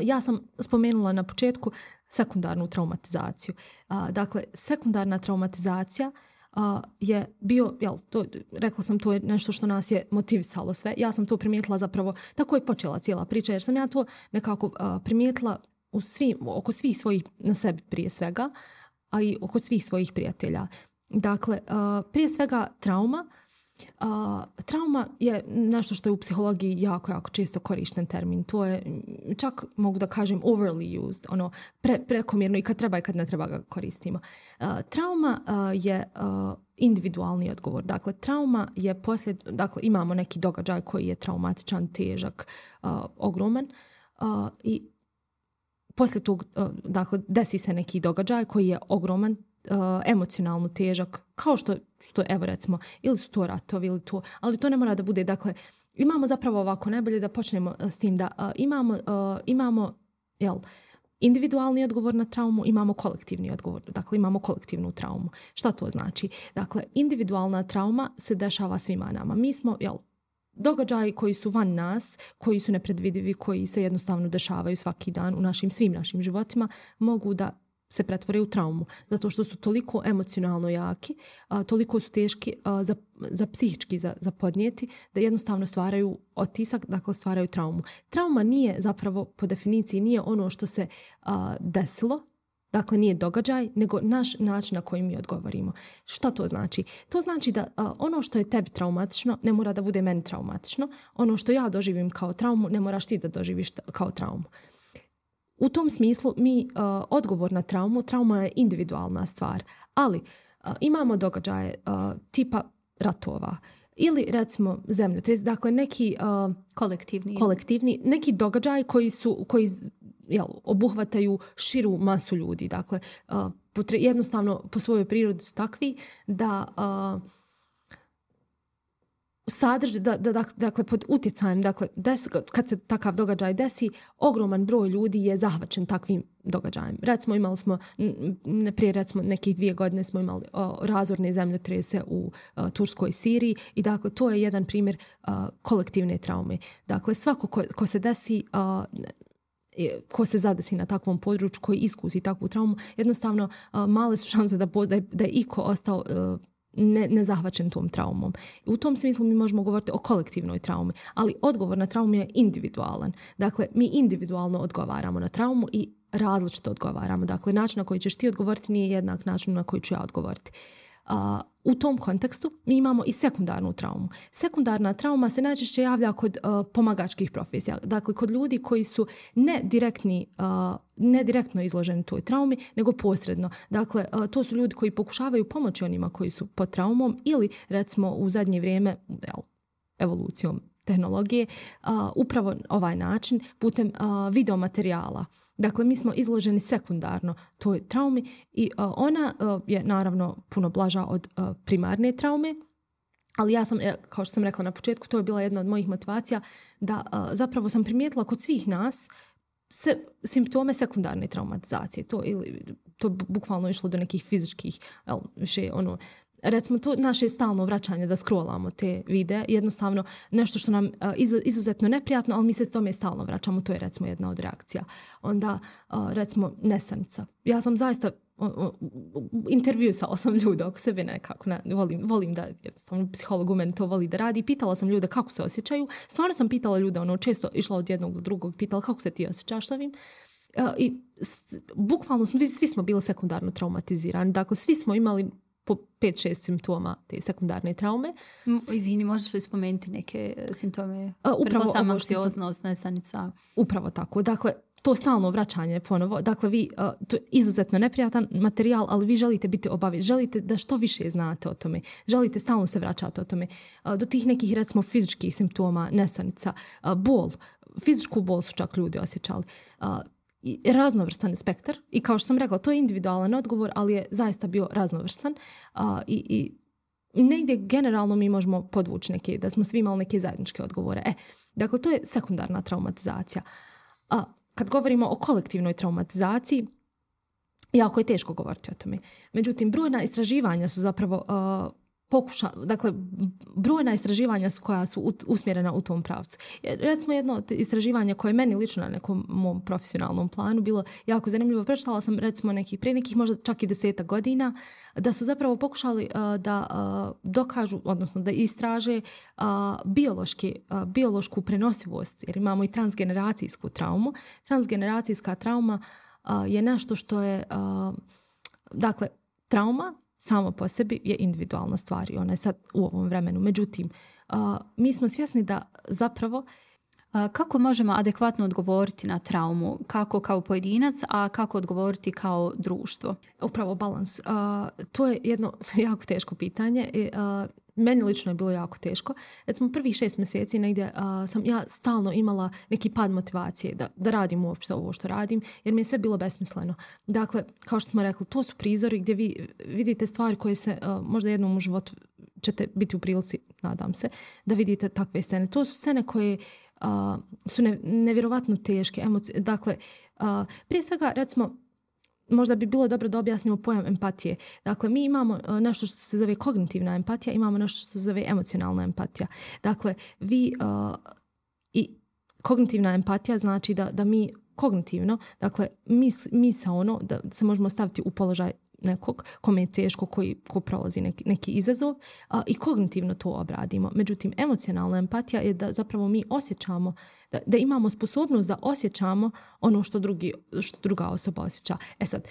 Ja sam spomenula na početku sekundarnu traumatizaciju. Dakle, sekundarna traumatizacija Uh, je bio, jel, to, rekla sam, to je nešto što nas je motivisalo sve. Ja sam to primijetila zapravo, tako je počela cijela priča, jer sam ja to nekako uh, primijetila u svim, oko svih svojih, na sebi prije svega, a i oko svih svojih prijatelja. Dakle, uh, prije svega trauma. Uh, trauma je nešto što je u psihologiji jako, jako često korišten termin. To je, čak mogu da kažem, overly used, ono, pre, prekomjerno i kad treba i kad ne treba ga koristimo. Uh, trauma uh, je uh, individualni odgovor. Dakle, trauma je posljed, dakle, imamo neki događaj koji je traumatičan, težak, uh, ogroman uh, i poslije tog, uh, dakle, desi se neki događaj koji je ogroman, Uh, emocionalno težak, kao što, što evo recimo, ili su to ratovi, ili to, ali to ne mora da bude, dakle, imamo zapravo ovako, najbolje da počnemo uh, s tim da uh, imamo, uh, imamo jel, individualni odgovor na traumu, imamo kolektivni odgovor, dakle imamo kolektivnu traumu. Šta to znači? Dakle, individualna trauma se dešava svima nama. Mi smo, jel, događaji koji su van nas, koji su nepredvidivi, koji se jednostavno dešavaju svaki dan u našim, svim našim životima, mogu da se pretvore u traumu, zato što su toliko emocionalno jaki, a, toliko su teški a, za, za psihički za, za podnijeti, da jednostavno stvaraju otisak, dakle stvaraju traumu. Trauma nije zapravo, po definiciji, nije ono što se a, desilo, dakle nije događaj, nego naš način na koji mi odgovorimo. Šta to znači? To znači da a, ono što je tebi traumatično ne mora da bude meni traumatično, ono što ja doživim kao traumu ne moraš ti da doživiš ta, kao traumu. U tom smislu mi uh, odgovor na traumu, trauma je individualna stvar, ali uh, imamo događaje uh, tipa ratova ili recimo zemljotres, dakle neki uh, kolektivni. kolektivni, neki događaji koji su koji jel, obuhvataju širu masu ljudi, dakle uh, potre, jednostavno po svojoj prirodi su takvi da uh, sadrži, da, da, dakle, pod utjecajem, dakle, des, kad se takav događaj desi, ogroman broj ljudi je zahvaćen takvim događajem. Recimo, imali smo, ne prije recimo nekih dvije godine smo imali o, razorne zemljotrese u o, Turskoj Siriji i dakle, to je jedan primjer o, kolektivne traume. Dakle, svako ko, ko se desi, o, ko se zadesi na takvom području, koji iskusi takvu traumu, jednostavno o, male su šanse da, da, je, da je iko ostao o, Ne, ne zahvaćen tom traumom. U tom smislu mi možemo govoriti o kolektivnoj traumi, ali odgovor na traumu je individualan. Dakle, mi individualno odgovaramo na traumu i različito odgovaramo. Dakle, način na koji ćeš ti odgovoriti nije jednak način na koji ću ja odgovoriti. Uh, u tom kontekstu mi imamo i sekundarnu traumu. Sekundarna trauma se najčešće javlja kod uh, pomagačkih profesija. Dakle, kod ljudi koji su ne direktni, uh, ne direktno izloženi toj traumi, nego posredno. Dakle, uh, to su ljudi koji pokušavaju pomoći onima koji su pod traumom ili, recimo, u zadnje vrijeme, jel, evolucijom tehnologije, uh, upravo ovaj način, putem uh, videomaterijala. Dakle, mi smo izloženi sekundarno toj traumi i uh, ona uh, je naravno puno blaža od uh, primarne traume, ali ja sam, kao što sam rekla na početku, to je bila jedna od mojih motivacija da uh, zapravo sam primijetila kod svih nas se, simptome sekundarne traumatizacije. To, ili, to bukvalno išlo do nekih fizičkih, el, više ono, recimo to naše stalno vraćanje da scrollamo te videe, jednostavno nešto što nam uh, iz, izuzetno neprijatno, ali mi se tome stalno vraćamo, to je recimo jedna od reakcija. Onda uh, recimo nesanica. Ja sam zaista uh, uh, intervjuisala sam ljude oko sebe nekako, ne, volim, volim da jednostavno psiholog u meni to voli da radi, pitala sam ljude kako se osjećaju, stvarno sam pitala ljude, ono često išla od jednog do drugog, pitala kako se ti osjećaš s ovim. Uh, i s, bukvalno smo, svi smo bili sekundarno traumatizirani, dakle svi smo imali po pet šest simptoma te sekundarne traume. Izvini, možeš li spomenuti neke simptome? A, upravo sama anksioznost, nesanica. Upravo tako. Dakle, to stalno vraćanje ponovo. Dakle, vi, uh, to je izuzetno neprijatan materijal, ali vi želite biti obavi. Želite da što više znate o tome. Želite stalno se vraćati o tome. Uh, do tih nekih, recimo, fizičkih simptoma, nesanica, uh, bol. Fizičku bol su čak ljudi osjećali. Uh, I raznovrstan spektar i kao što sam rekla, to je individualan odgovor, ali je zaista bio raznovrstan uh, i, i negdje generalno mi možemo podvući neke, da smo svi imali neke zajedničke odgovore. E, dakle, to je sekundarna traumatizacija. A kad govorimo o kolektivnoj traumatizaciji, jako je teško govoriti o tome. Međutim, brojna istraživanja su zapravo uh, pokuša, dakle, brojna istraživanja su koja su usmjerena u tom pravcu. Recimo jedno istraživanje koje je meni lično na nekom mom profesionalnom planu bilo jako zanimljivo. Prečitala sam recimo nekih, prije nekih možda čak i desetak godina, da su zapravo pokušali uh, da uh, dokažu, odnosno da istraže uh, biološki, uh, biološku prenosivost, jer imamo i transgeneracijsku traumu. Transgeneracijska trauma uh, je nešto što je, uh, dakle, trauma samo po sebi je individualna stvar i ona je sad u ovom vremenu. Međutim, uh, mi smo svjesni da zapravo kako možemo adekvatno odgovoriti na traumu, kako kao pojedinac, a kako odgovoriti kao društvo? Upravo balans. Uh, to je jedno jako teško pitanje. Uh, meni lično je bilo jako teško. Recimo prvih šest mjeseci negdje uh, sam ja stalno imala neki pad motivacije da, da radim uopšte ovo što radim, jer mi je sve bilo besmisleno. Dakle, kao što smo rekli, to su prizori gdje vi vidite stvari koje se uh, možda jednom u životu ćete biti u prilici, nadam se, da vidite takve scene. To su scene koje uh, su ne, nevjerovatno teške. Emocije. Dakle, uh, prije svega, recimo, možda bi bilo dobro da objasnimo pojam empatije. Dakle, mi imamo nešto što se zove kognitivna empatija, imamo nešto što se zove emocionalna empatija. Dakle, vi uh, i kognitivna empatija znači da, da mi kognitivno, dakle, mis, misaono, da se možemo staviti u položaj nekog kome je teško, koji ko prolazi neki, neki izazov a, i kognitivno to obradimo. Međutim, emocionalna empatija je da zapravo mi osjećamo, da, da imamo sposobnost da osjećamo ono što, drugi, što druga osoba osjeća. E sad,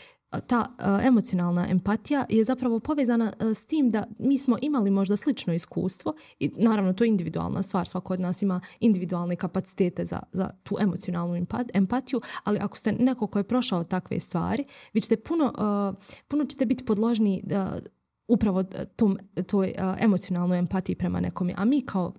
ta a, emocionalna empatija je zapravo povezana a, s tim da mi smo imali možda slično iskustvo i naravno to je individualna stvar, svako od nas ima individualne kapacitete za, za tu emocionalnu empatiju, ali ako ste neko ko je prošao takve stvari, vi ćete puno, a, puno ćete biti podložni a, upravo tom, toj a, emocionalnoj empatiji prema nekome. A mi kao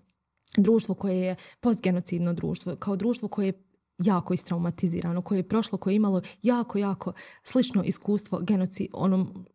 društvo koje je postgenocidno društvo, kao društvo koje je jako istraumatizirano, koje je prošlo, koje je imalo jako, jako slično iskustvo genocid, onom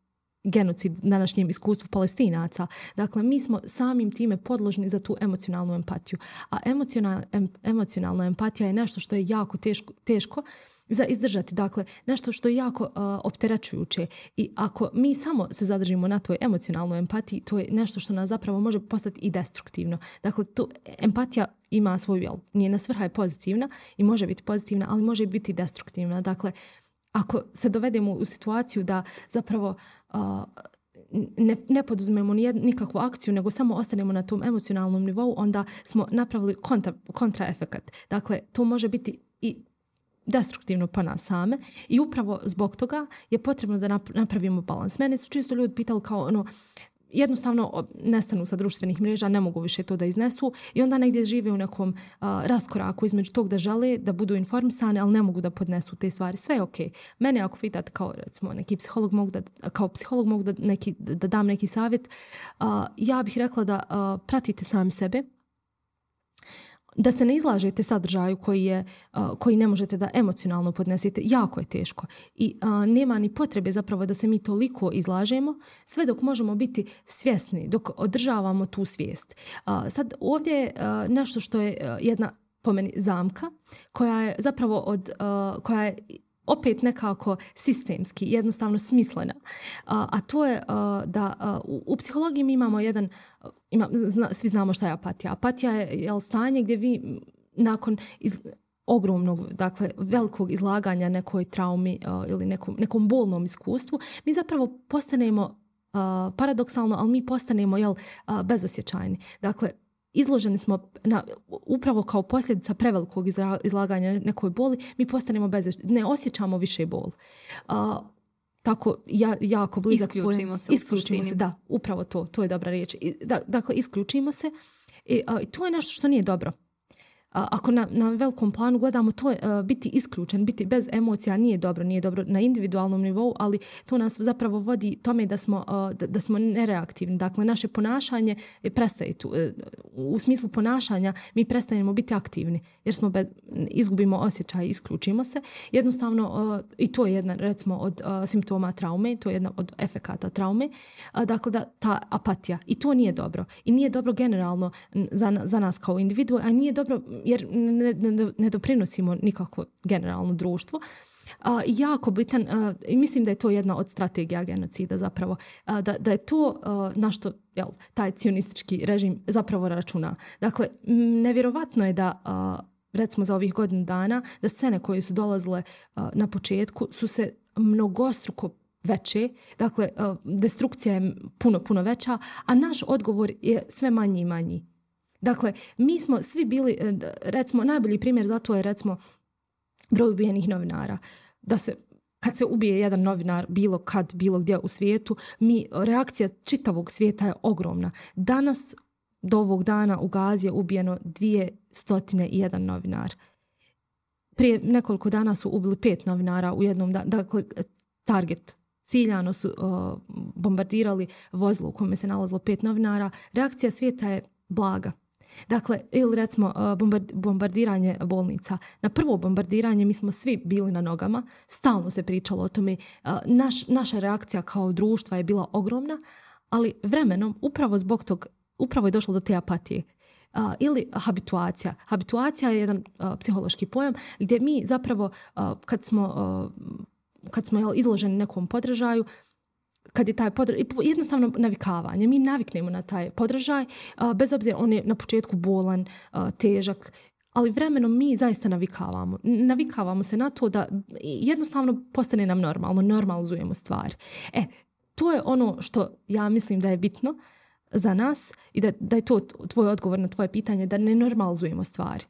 genocid današnjem iskustvu Palestinaca. Dakle, mi smo samim time podložni za tu emocionalnu empatiju. A emocionalna, em, emocionalna empatija je nešto što je jako teško, teško za izdržati. Dakle, nešto što je jako uh, opterećujuće. I ako mi samo se zadržimo na toj emocionalnoj empatiji, to je nešto što nas zapravo može postati i destruktivno. Dakle, tu empatija ima svoju, jel, njena svrha je pozitivna i može biti pozitivna, ali može biti destruktivna. Dakle, ako se dovedemo u situaciju da zapravo uh, ne, ne poduzmemo nikakvu akciju, nego samo ostanemo na tom emocionalnom nivou, onda smo napravili kontra, kontraefekat. Dakle, to može biti i destruktivno po nas same i upravo zbog toga je potrebno da napravimo balans. Mene su često ljudi pitali kao ono, jednostavno nestanu sa društvenih mreža, ne mogu više to da iznesu i onda negdje žive u nekom uh, raskoraku između tog da žele, da budu informisane, ali ne mogu da podnesu te stvari. Sve je okej. Okay. Mene ako pitate kao recimo neki psiholog mogu da, kao psiholog mogu da, neki, da dam neki savjet, uh, ja bih rekla da uh, pratite sami sebe, da se ne izlažete sadržaju koji, je, uh, koji ne možete da emocionalno podnesete. Jako je teško. I uh, nema ni potrebe zapravo da se mi toliko izlažemo, sve dok možemo biti svjesni, dok održavamo tu svijest. Uh, sad ovdje je uh, nešto što je uh, jedna po meni zamka, koja je zapravo od, uh, koja je opet nekako sistemski, jednostavno smislena. A, a to je a, da a, u, u psihologiji mi imamo jedan, ima, zna, svi znamo šta je apatija. Apatija je, je stanje gdje vi nakon iz, ogromnog, dakle velikog izlaganja nekoj traumi a, ili nekom, nekom bolnom iskustvu, mi zapravo postanemo a, paradoksalno, ali mi postanemo jel, a, bezosjećajni. Dakle, izloženi smo na, upravo kao posljedica prevelikog izlaganja nekoj boli, mi postanemo bez, ne osjećamo više bol. Uh, tako ja, jako blizak... Isključimo se isključimo u suštini. Se, da, upravo to, to je dobra riječ. I, da, dakle, isključimo se i uh, to je nešto što nije dobro. ako na, na velikom planu gledamo, to je uh, biti isključen, biti bez emocija nije dobro, nije dobro na individualnom nivou, ali to nas zapravo vodi tome da smo, uh, da, da smo nereaktivni. Dakle, naše ponašanje prestaje tu. Uh, u smislu ponašanja mi prestajemo biti aktivni, jer smo bez, izgubimo osjećaj, isključimo se. Jednostavno, uh, i to je jedna, recimo, od uh, simptoma traume, to je jedna od efekata traume. Uh, dakle, da ta apatija. I to nije dobro. I nije dobro generalno za, za nas kao individu, a nije dobro jer ne, ne, ne doprinosimo nikako generalno društvu. Uh, jako bitan, uh, i mislim da je to jedna od strategija genocida zapravo, uh, da, da je to uh, na što jel, taj cionistički režim zapravo računa. Dakle, nevjerovatno je da uh, recimo za ovih godinu dana, da scene koje su dolazile uh, na početku su se mnogostruko veće, dakle uh, destrukcija je puno, puno veća, a naš odgovor je sve manji i manji. Dakle, mi smo svi bili, recimo, najbolji primjer za to je, recimo, broj ubijenih novinara. Da se, kad se ubije jedan novinar bilo kad, bilo gdje u svijetu, mi, reakcija čitavog svijeta je ogromna. Danas, do ovog dana, u Gazi je ubijeno dvjesto jedan novinar. Prije nekoliko dana su ubili pet novinara u jednom danu. Dakle, target, ciljano su uh, bombardirali vozilo u kome se nalazilo pet novinara. Reakcija svijeta je blaga. Dakle, ili recimo bombardiranje bolnica. Na prvo bombardiranje mi smo svi bili na nogama, stalno se pričalo o tome. Naš, naša reakcija kao društva je bila ogromna, ali vremenom, upravo zbog tog, upravo je došlo do te apatije. Uh, ili habituacija. Habituacija je jedan uh, psihološki pojam gdje mi zapravo, uh, kad smo, uh, kad smo jel, izloženi nekom podražaju, kad je taj podražaj, jednostavno navikavanje. Mi naviknemo na taj podražaj, bez obzira on je na početku bolan, težak, ali vremenom mi zaista navikavamo. Navikavamo se na to da jednostavno postane nam normalno, normalizujemo stvari. E, to je ono što ja mislim da je bitno za nas i da, da je to tvoj odgovor na tvoje pitanje, da ne normalizujemo stvari.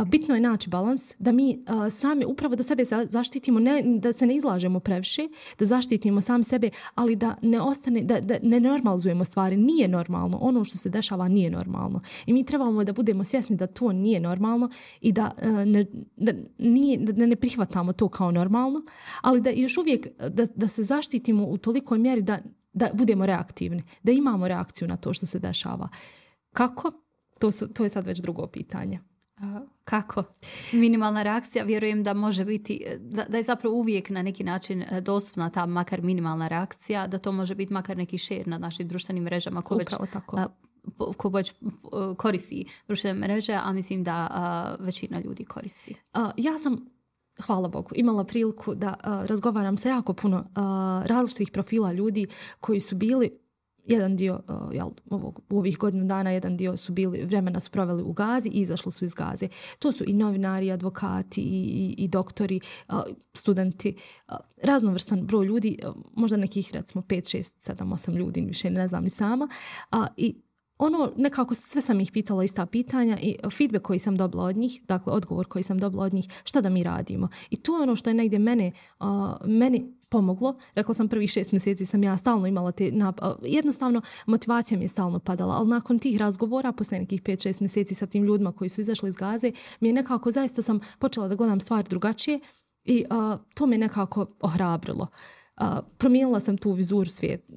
Bitno je naći balans, da mi a, sami upravo da sebe zaštitimo, ne, da se ne izlažemo previše, da zaštitimo sami sebe, ali da ne ostane, da, da ne normalizujemo stvari. Nije normalno. Ono što se dešava nije normalno. I mi trebamo da budemo svjesni da to nije normalno i da, a, ne, da, nije, da ne prihvatamo to kao normalno, ali da još uvijek da, da se zaštitimo u tolikoj mjeri da, da budemo reaktivni, da imamo reakciju na to što se dešava. Kako? To, su, to je sad već drugo pitanje. Kako? Minimalna reakcija, vjerujem da može biti, da, da je zapravo uvijek na neki način dostupna ta makar minimalna reakcija, da to može biti makar neki share na našim društvenim mrežama ko već, ko već koristi društvene mreže, a mislim da a, većina ljudi koristi. A, ja sam, hvala Bogu, imala priliku da a, razgovaram sa jako puno a, različitih profila ljudi koji su bili jedan dio uh, jel, ovog, u ovih godinu dana, jedan dio su bili, vremena su proveli u Gazi i izašli su iz Gaze. To su i novinari, i advokati, i, i, i doktori, uh, studenti, uh, raznovrstan broj ljudi, uh, možda nekih recimo pet, šest, sedam, osam ljudi, više ne znam ni sama. Uh, I ono, nekako sve sam ih pitala ista pitanja i feedback koji sam dobila od njih, dakle odgovor koji sam dobila od njih, šta da mi radimo. I to je ono što je negdje mene, uh, meni pomoglo. Rekla sam prvih šest mjeseci sam ja stalno imala te nap- jednostavno motivacija mi je stalno padala, ali nakon tih razgovora, poslije nekih pet šest mjeseci sa tim ljudima koji su izašli iz Gaze, mi je nekako zaista sam počela da gledam stvari drugačije i uh, to me nekako ohrabrilo. Uh, promijenila sam tu vizuru svijeta.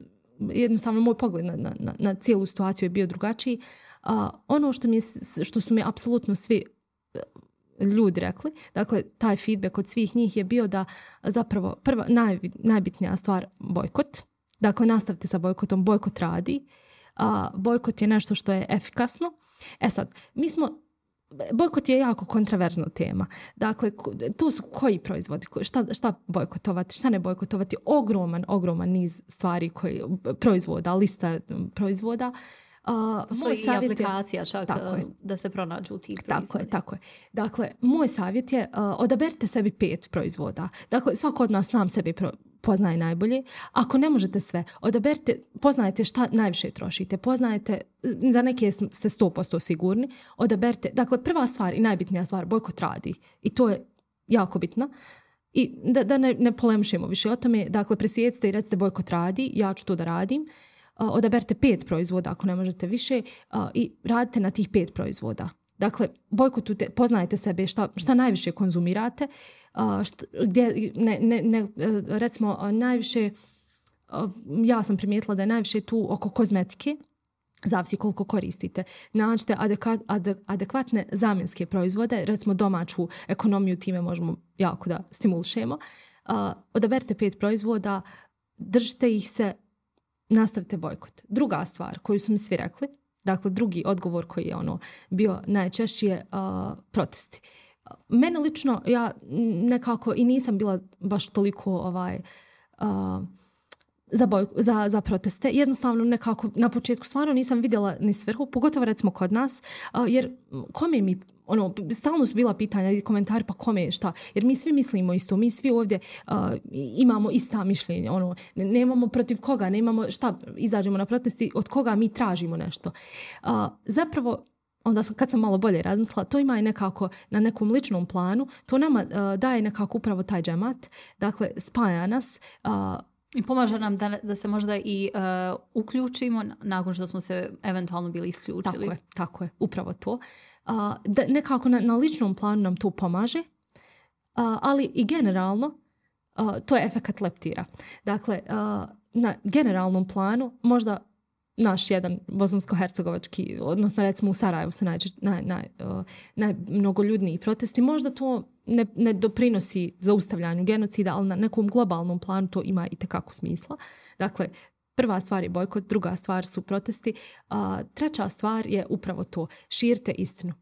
Jednostavno moj pogled na, na, na cijelu situaciju je bio drugačiji. Uh, ono što, mi je, što su mi apsolutno svi ljudi rekli, dakle taj feedback od svih njih je bio da zapravo prva naj, najbitnija stvar bojkot. Dakle, nastavite sa bojkotom, bojkot radi. A, bojkot je nešto što je efikasno. E sad, mi smo, bojkot je jako kontraverzna tema. Dakle, to su koji proizvodi, šta, šta bojkotovati, šta ne bojkotovati, ogroman, ogroman niz stvari koji, proizvoda, lista proizvoda. Uh, Postoji i aplikacija čak da se pronađu tih proizvoda. Tako je, tako je. Dakle, moj savjet je uh, odaberite sebi pet proizvoda. Dakle, svako od nas sam sebi pro- poznaje najbolje. Ako ne možete sve, odaberite, poznajete šta najviše trošite, poznajete, za neke ste sto posto sigurni, odaberite. Dakle, prva stvar i najbitnija stvar, bojkot radi. I to je jako bitno. I da, da ne, ne polemišemo više o tome, dakle, presjecite i recite bojkot radi, ja ću to da radim. Uh, odaberite pet proizvoda ako ne možete više uh, i radite na tih pet proizvoda. Dakle, bojkotujte, poznajte sebe šta, šta najviše konzumirate, uh, šta, gdje, ne, ne, ne, recimo, uh, najviše, uh, ja sam primijetila da je najviše tu oko kozmetike, zavisi koliko koristite. Nađite adekvat, adek, adekvatne zamjenske proizvode, recimo domaću ekonomiju, time možemo jako da stimulišemo. Uh, odaberite pet proizvoda, držite ih se, nastavite bojkot. Druga stvar koju su mi svi rekli, dakle drugi odgovor koji je ono bio najčešći je uh, protesti. Mene lično, ja nekako i nisam bila baš toliko ovaj... Uh, Za, boj, za, za proteste. Jednostavno nekako na početku stvarno nisam vidjela ni svrhu, pogotovo recimo kod nas, uh, jer kome mi, ono, stalno su bila pitanja i komentari, pa kome šta, jer mi svi mislimo isto, mi svi ovdje uh, imamo ista mišljenja, ono, nemamo protiv koga, nemamo šta, izađemo na protesti, od koga mi tražimo nešto. Uh, zapravo, onda sam, kad sam malo bolje razmislila, to ima i nekako na nekom ličnom planu, to nama uh, daje nekako upravo taj džemat, dakle, spaja nas, uh, i pomaže nam da, da se možda i uh, uključimo nakon što smo se eventualno bili isključili. Tako je, tako je, upravo to. Uh, da nekako na, na ličnom planu nam to pomaže, uh, ali i generalno uh, to je efekat leptira. Dakle, uh, na generalnom planu možda naš jedan bosansko-hercegovački, odnosno recimo u Sarajevu su naj, naj, naj, uh, najmnogoljudniji protesti, možda to ne, ne doprinosi zaustavljanju genocida, ali na nekom globalnom planu to ima i tekako smisla. Dakle, prva stvar je bojkot, druga stvar su protesti, a treća stvar je upravo to, širite istinu.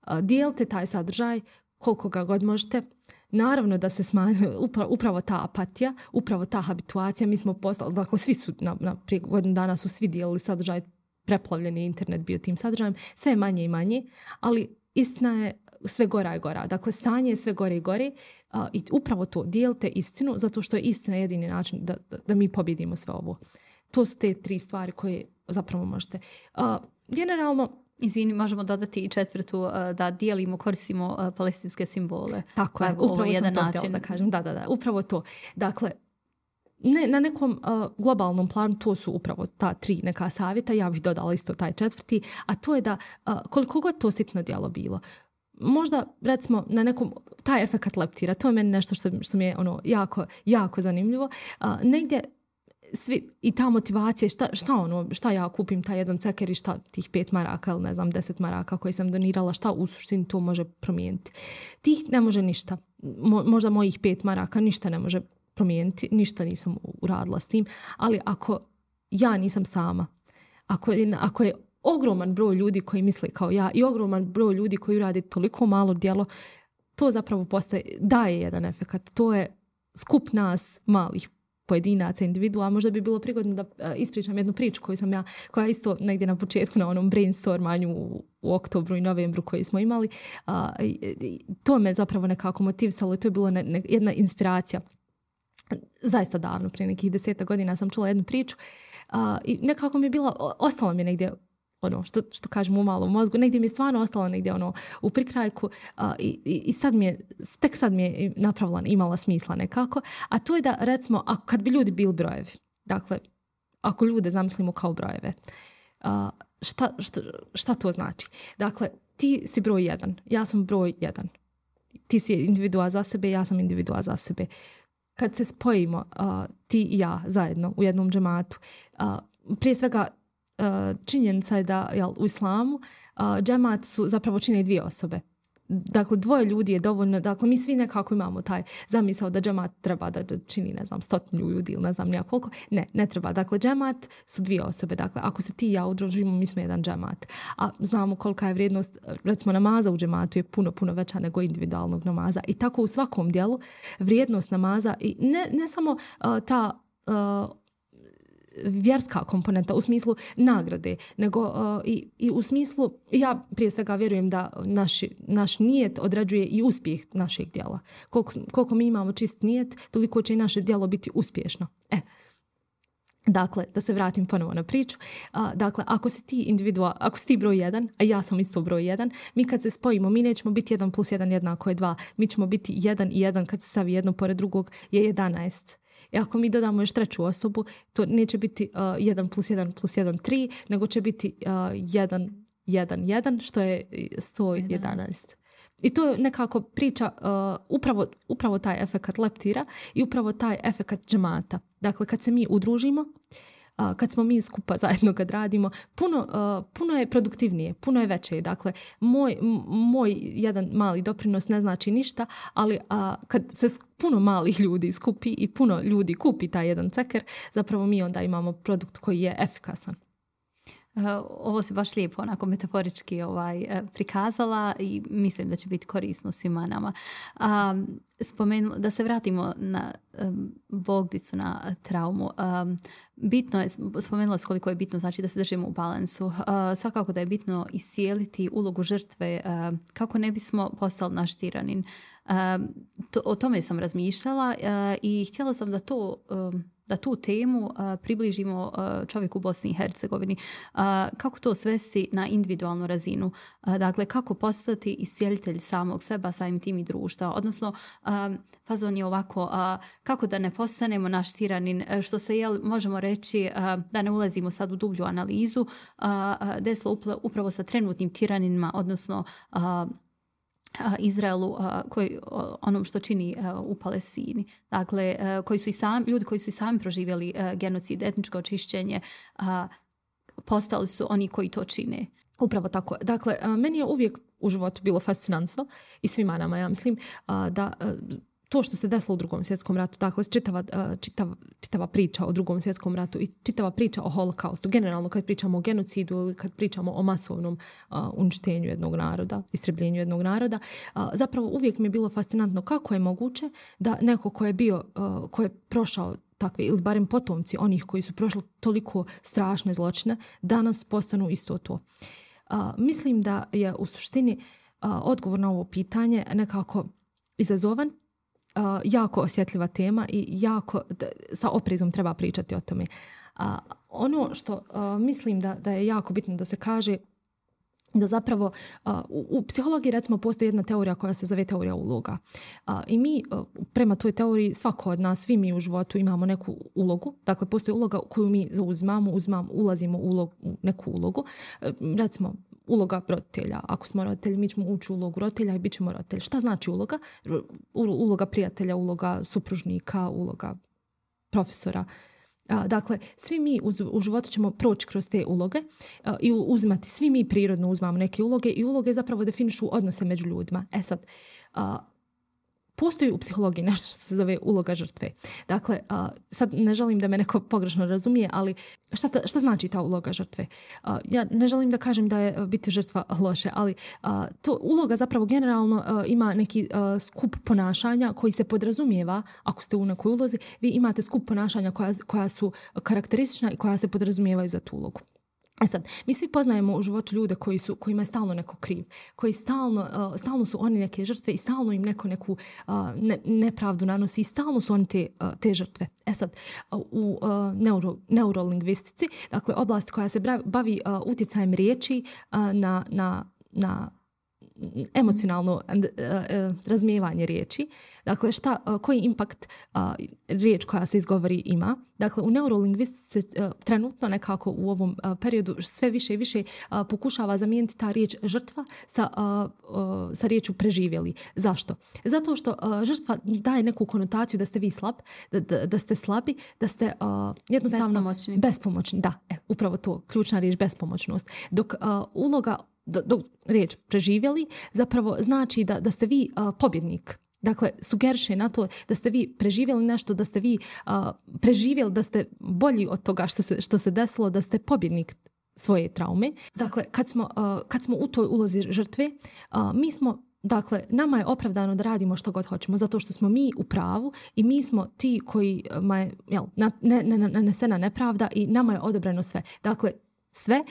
A, dijelite taj sadržaj koliko ga god možete. Naravno da se smanji upravo, upravo ta apatija, upravo ta habituacija. Mi smo postali, dakle svi su, na, na, prije godinu dana su svi dijelili sadržaj, preplavljeni internet bio tim sadržajem, sve je manje i manje, ali istina je sve gora i gora. Dakle, stanje je sve gore i gore uh, i upravo to, dijelite istinu, zato što je istina jedini način da, da, da mi pobjedimo sve ovo. To su te tri stvari koje zapravo možete. Uh, generalno, izvini, možemo dodati i četvrtu, uh, da dijelimo, koristimo uh, palestinske simbole. Tako je, upravo sam jedan to način da kažem. Da, da, da, upravo to. Dakle, ne, na nekom uh, globalnom planu to su upravo ta tri neka savjeta, ja bih dodala isto taj četvrti, a to je da uh, koliko god to sitno djelo bilo, možda recimo na nekom, taj efekat leptira, to je meni nešto što, što mi je ono jako, jako zanimljivo, uh, negdje svi, i ta motivacija, šta, šta ono, šta ja kupim taj jedan ceker i šta tih pet maraka ili ne znam deset maraka koje sam donirala, šta u suštini to može promijeniti. Tih ne može ništa, Mo, možda mojih pet maraka ništa ne može promijeniti, ništa nisam uradila s tim, ali ako ja nisam sama, ako je, ako je ogroman broj ljudi koji misle kao ja i ogroman broj ljudi koji rade toliko malo djelo, to zapravo postaje, daje jedan efekat. To je skup nas malih pojedinaca, individua. Možda bi bilo prigodno da ispričam jednu priču koju sam ja, koja isto negdje na početku na onom brainstormanju u, u oktobru i novembru koji smo imali. A, to me zapravo nekako motivisalo i to je bilo ne, ne, jedna inspiracija. Zaista davno, prije nekih deseta godina sam čula jednu priču a, i nekako mi je bila, ostala mi je negdje ono, što, što kažem u malom mozgu, negdje mi je stvarno ostala negdje ono, u prikrajku a, i, i sad mi je, tek sad mi je napravila, imala smisla nekako, a to je da recimo, a kad bi ljudi bili brojevi, dakle, ako ljude zamislimo kao brojeve, a, šta, šta, šta to znači? Dakle, ti si broj jedan, ja sam broj jedan, ti si individua za sebe, ja sam individua za sebe. Kad se spojimo, uh, ti i ja zajedno u jednom džematu, uh, prije svega uh, činjenica je da jel, u islamu uh, džemat su zapravo čine dvije osobe. Dakle, dvoje ljudi je dovoljno, dakle, mi svi nekako imamo taj zamisao da džemat treba da čini, ne znam, stotinu ljudi ili ne znam nijakoliko. Ne, ne treba. Dakle, džemat su dvije osobe. Dakle, ako se ti i ja udružimo, mi smo jedan džemat. A znamo kolika je vrijednost, recimo, namaza u džematu je puno, puno veća nego individualnog namaza. I tako u svakom dijelu vrijednost namaza i ne, ne samo uh, ta uh, vjerska komponenta u smislu nagrade, nego uh, i, i u smislu, ja prije svega vjerujem da naš, naš nijet određuje i uspjeh našeg djela. Koliko, koliko mi imamo čist nijet, toliko će i naše djelo biti uspješno. E, dakle, da se vratim ponovo na priču. Uh, dakle, ako si ti individua, ako si ti broj jedan, a ja sam isto broj jedan, mi kad se spojimo, mi nećemo biti jedan plus jedan jednako je dva. Mi ćemo biti jedan i jedan kad se stavi jedno pored drugog je jedanaest. I ako mi dodamo još treću osobu, to neće biti uh, jedan plus jedan plus jedan, tri, nego će biti uh, jedan jedan jedan, što je sto jedanaest. I to je nekako priča uh, upravo, upravo taj efekat leptira i upravo taj efekat džemata. Dakle, kad se mi udružimo, uh, kad smo mi skupa zajedno kad radimo, puno, uh, puno je produktivnije, puno je veće. Dakle, moj, m- moj jedan mali doprinos ne znači ništa, ali uh, kad se puno malih ljudi skupi i puno ljudi kupi taj jedan ceker, zapravo mi onda imamo produkt koji je efikasan. Uh, ovo si baš lijepo onako metaforički ovaj, uh, prikazala i mislim da će biti korisno svima nama. Um, spomenu, da se vratimo na um, Bogdicu, na traumu. Um, bitno je, spomenula se koliko je bitno znači da se držimo u balansu. Uh, svakako da je bitno iscijeliti ulogu žrtve uh, kako ne bismo postali naš tiranin. Uh, to, o tome sam razmišljala uh, i htjela sam da to... Um, da tu temu uh, približimo uh, čovjeku u Bosni i Hercegovini. Uh, kako to svesti na individualnu razinu? Uh, dakle, kako postati iscijelitelj samog seba, samim tim i društva? Odnosno, uh, fazon je ovako, uh, kako da ne postanemo naš tiranin, uh, što se jel, možemo reći, uh, da ne ulazimo sad u dublju analizu, uh, uh, desilo upravo sa trenutnim tiraninima, odnosno uh, Izraelu, koji, onom što čini u Palestini. Dakle, koji su i sami, ljudi koji su i sami proživjeli genocid, etničko očišćenje, postali su oni koji to čine. Upravo tako. Dakle, meni je uvijek u životu bilo fascinantno i svima nama, ja mislim, da to što se desilo u Drugom svjetskom ratu, dakle, čitava, čitava, čitava priča o Drugom svjetskom ratu i čitava priča o holokaustu, generalno kad pričamo o genocidu ili kad pričamo o masovnom uh, uništenju jednog naroda, istrebljenju jednog naroda, uh, zapravo uvijek mi je bilo fascinantno kako je moguće da neko ko je bio, uh, ko je prošao takve, ili barem potomci onih koji su prošli toliko strašne zločine, danas postanu isto to. Uh, mislim da je u suštini uh, odgovor na ovo pitanje nekako izazovan, Uh, jako osjetljiva tema i jako da, sa oprezom treba pričati o tome. Uh, ono što uh, mislim da, da je jako bitno da se kaže, da zapravo uh, u, u psihologiji recimo postoji jedna teorija koja se zove teorija uloga. Uh, I mi uh, prema toj teoriji svako od nas, svi mi u životu imamo neku ulogu. Dakle, postoji uloga koju mi zauzimamo, uzmamo, ulazimo u, ulog, u neku ulogu. Uh, recimo, uloga roditelja. Ako smo roditelji, mi ćemo ući u ulogu roditelja i bit ćemo roditelji. Šta znači uloga? Uloga prijatelja, uloga supružnika, uloga profesora. Dakle, svi mi u životu ćemo proći kroz te uloge i uzimati, svi mi prirodno uzmamo neke uloge i uloge zapravo definišu odnose među ljudima. E sad, postoji u psihologiji nešto što se zove uloga žrtve. Dakle, uh, sad ne želim da me neko pogrešno razumije, ali šta, ta, šta znači ta uloga žrtve? Uh, ja ne želim da kažem da je biti žrtva loše, ali uh, to uloga zapravo generalno uh, ima neki uh, skup ponašanja koji se podrazumijeva, ako ste u nekoj ulozi, vi imate skup ponašanja koja, koja su karakteristična i koja se podrazumijevaju za tu ulogu. E sad, mi svi poznajemo u životu ljude koji su, kojima je stalno neko kriv, koji stalno, uh, stalno su oni neke žrtve i stalno im neko neku uh, ne, nepravdu nanosi i stalno su oni te, uh, te žrtve. E sad, uh, u uh, neuro, neurolingvistici, dakle oblasti koja se bavi uh, utjecajem riječi uh, na, na, na emocionalno uh, uh, razmijevanje riječi. Dakle, šta, uh, koji impakt uh, riječ koja se izgovori ima. Dakle, u neurolingvistici uh, trenutno nekako u ovom uh, periodu sve više i više uh, pokušava zamijeniti ta riječ žrtva sa, uh, uh, sa riječu preživjeli. Zašto? Zato što uh, žrtva daje neku konotaciju da ste vi slab, da, da, da ste slabi, da ste uh, jednostavno bespomoćni. bespomoćni. Da, e, upravo to, ključna riječ bespomoćnost. Dok uh, uloga dok riječ preživjeli zapravo znači da, da ste vi uh, pobjednik. Dakle, sugeriše na to da ste vi preživjeli nešto, da ste vi uh, preživjeli, da ste bolji od toga što se, što se desilo, da ste pobjednik svoje traume. Dakle, kad smo, uh, kad smo u toj ulozi žrtve, uh, mi smo, dakle, nama je opravdano da radimo što god hoćemo, zato što smo mi u pravu i mi smo ti kojima je jel, nanesena nepravda i nama je odobreno sve. Dakle, sve,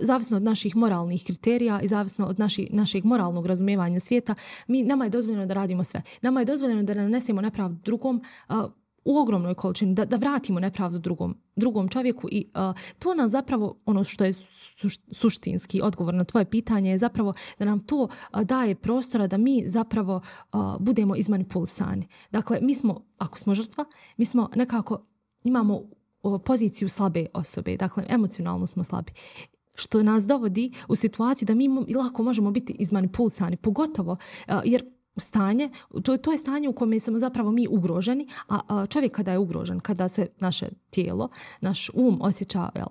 zavisno od naših moralnih kriterija i zavisno od naši, našeg moralnog razumijevanja svijeta, mi, nama je dozvoljeno da radimo sve. Nama je dozvoljeno da nanesemo nepravdu drugom uh, u ogromnoj količini, da, da vratimo nepravdu drugom, drugom čovjeku i uh, to nam zapravo, ono što je suš, suštinski odgovor na tvoje pitanje je zapravo da nam to uh, daje prostora da mi zapravo uh, budemo izmanipulisani. Dakle, mi smo, ako smo žrtva, mi smo nekako, imamo poziciju slabe osobe, dakle emocionalno smo slabi. što nas dovodi u situaciju da mi lako možemo biti izmanipulisani, pogotovo uh, jer stanje, to, to je stanje u kojem smo zapravo mi ugroženi, a, a čovjek kada je ugrožen, kada se naše tijelo, naš um osjeća, jel,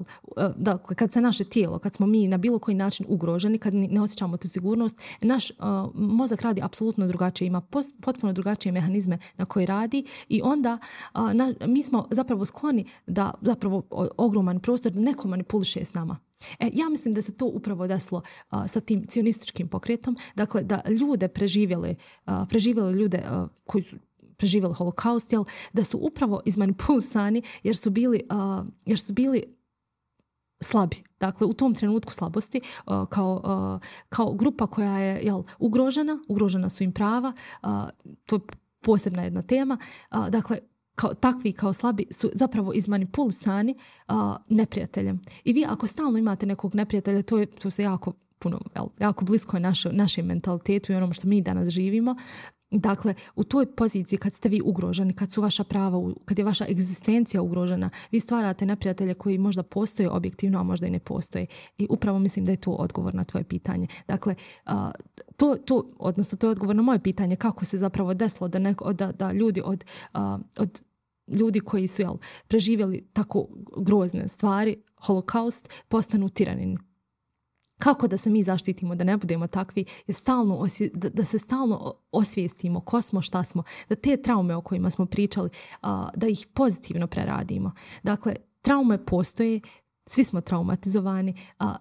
dakle, kad se naše tijelo, kad smo mi na bilo koji način ugroženi, kad ne osjećamo tu sigurnost, naš a, mozak radi apsolutno drugačije, ima pos, potpuno drugačije mehanizme na koji radi i onda a, na, mi smo zapravo skloni da zapravo ogroman prostor neko manipuliše s nama. E, ja mislim da se to upravo desilo a, sa tim cionističkim pokretom, dakle da ljude preživjeli, a, preživjeli ljude a, koji su preživjeli holokaust, jel, da su upravo izmanipulisani jer su bili, a, jer su bili slabi. Dakle, u tom trenutku slabosti a, kao, a, kao grupa koja je, jel, ugrožena, ugrožena su im prava, a, to je posebna jedna tema, a, dakle, kao, takvi kao slabi su zapravo izmanipulisani uh, neprijateljem. I vi ako stalno imate nekog neprijatelja, to je to se jako puno, jel, jako blisko je naše, našem mentalitetu i onom što mi danas živimo. Dakle, u toj poziciji kad ste vi ugroženi, kad su vaša prava, kad je vaša egzistencija ugrožena, vi stvarate neprijatelje koji možda postoje objektivno, a možda i ne postoje. I upravo mislim da je to odgovor na tvoje pitanje. Dakle, uh, to, to, odnosno to je odgovor na moje pitanje kako se zapravo desilo da, neko, da, da ljudi od, uh, od ljudi koji su, jel, preživjeli tako grozne stvari, holokaust, postanu tiranini. Kako da se mi zaštitimo, da ne budemo takvi, je stalno osvije, da, da se stalno osvijestimo ko smo, šta smo, da te traume o kojima smo pričali, a, da ih pozitivno preradimo. Dakle, traume postoje, svi smo traumatizovani, a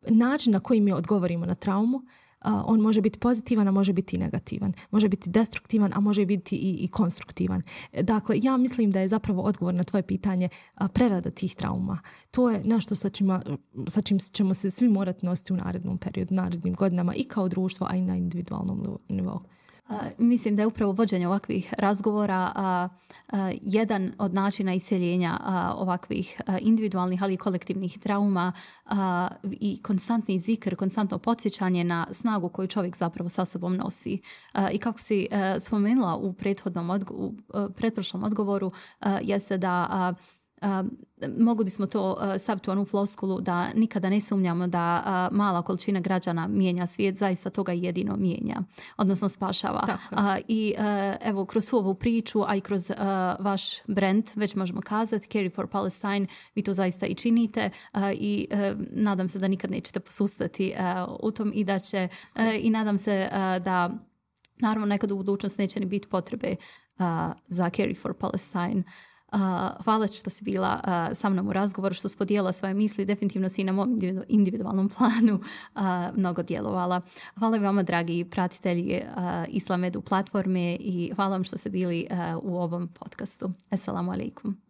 način na koji mi odgovorimo na traumu, a, on može biti pozitivan, a može biti i negativan. Može biti destruktivan, a može biti i, i konstruktivan. Dakle, ja mislim da je zapravo odgovor na tvoje pitanje a, prerada tih trauma. To je nešto sa, čima, sa čim ćemo se svi morati nositi u narednom periodu, narednim godinama i kao društvo, a i na individualnom nivou. Uh, mislim da je upravo vođenje ovakvih razgovora uh, uh, jedan od načina iseljenja uh, ovakvih uh, individualnih, ali i kolektivnih trauma uh, i konstantni zikr, konstantno podsjećanje na snagu koju čovjek zapravo sa sobom nosi. Uh, I kako si uh, spomenula u prethodnom odgo- u, uh, pretprošlom odgovoru, uh, jeste da uh, Uh, mogli bismo to uh, staviti u onu floskulu da nikada ne sumnjamo da uh, mala količina građana mijenja svijet, zaista toga jedino mijenja, odnosno spašava. Uh, I uh, evo, kroz ovu priču, a i kroz uh, vaš brand, već možemo kazati, Carry for Palestine, vi to zaista i činite uh, i uh, nadam se da nikad nećete posustati uh, u tom i da će, uh, i nadam se uh, da naravno nekad u budućnosti neće ni biti potrebe uh, za Carry for Palestine. Uh, hvala što si bila uh, sa mnom u razgovoru, što si podijela svoje misli, definitivno si na mom individualnom planu uh, mnogo djelovala. Hvala vama, dragi pratitelji uh, Islam Edu platforme i hvala vam što ste bili uh, u ovom podcastu. Assalamu alaikum.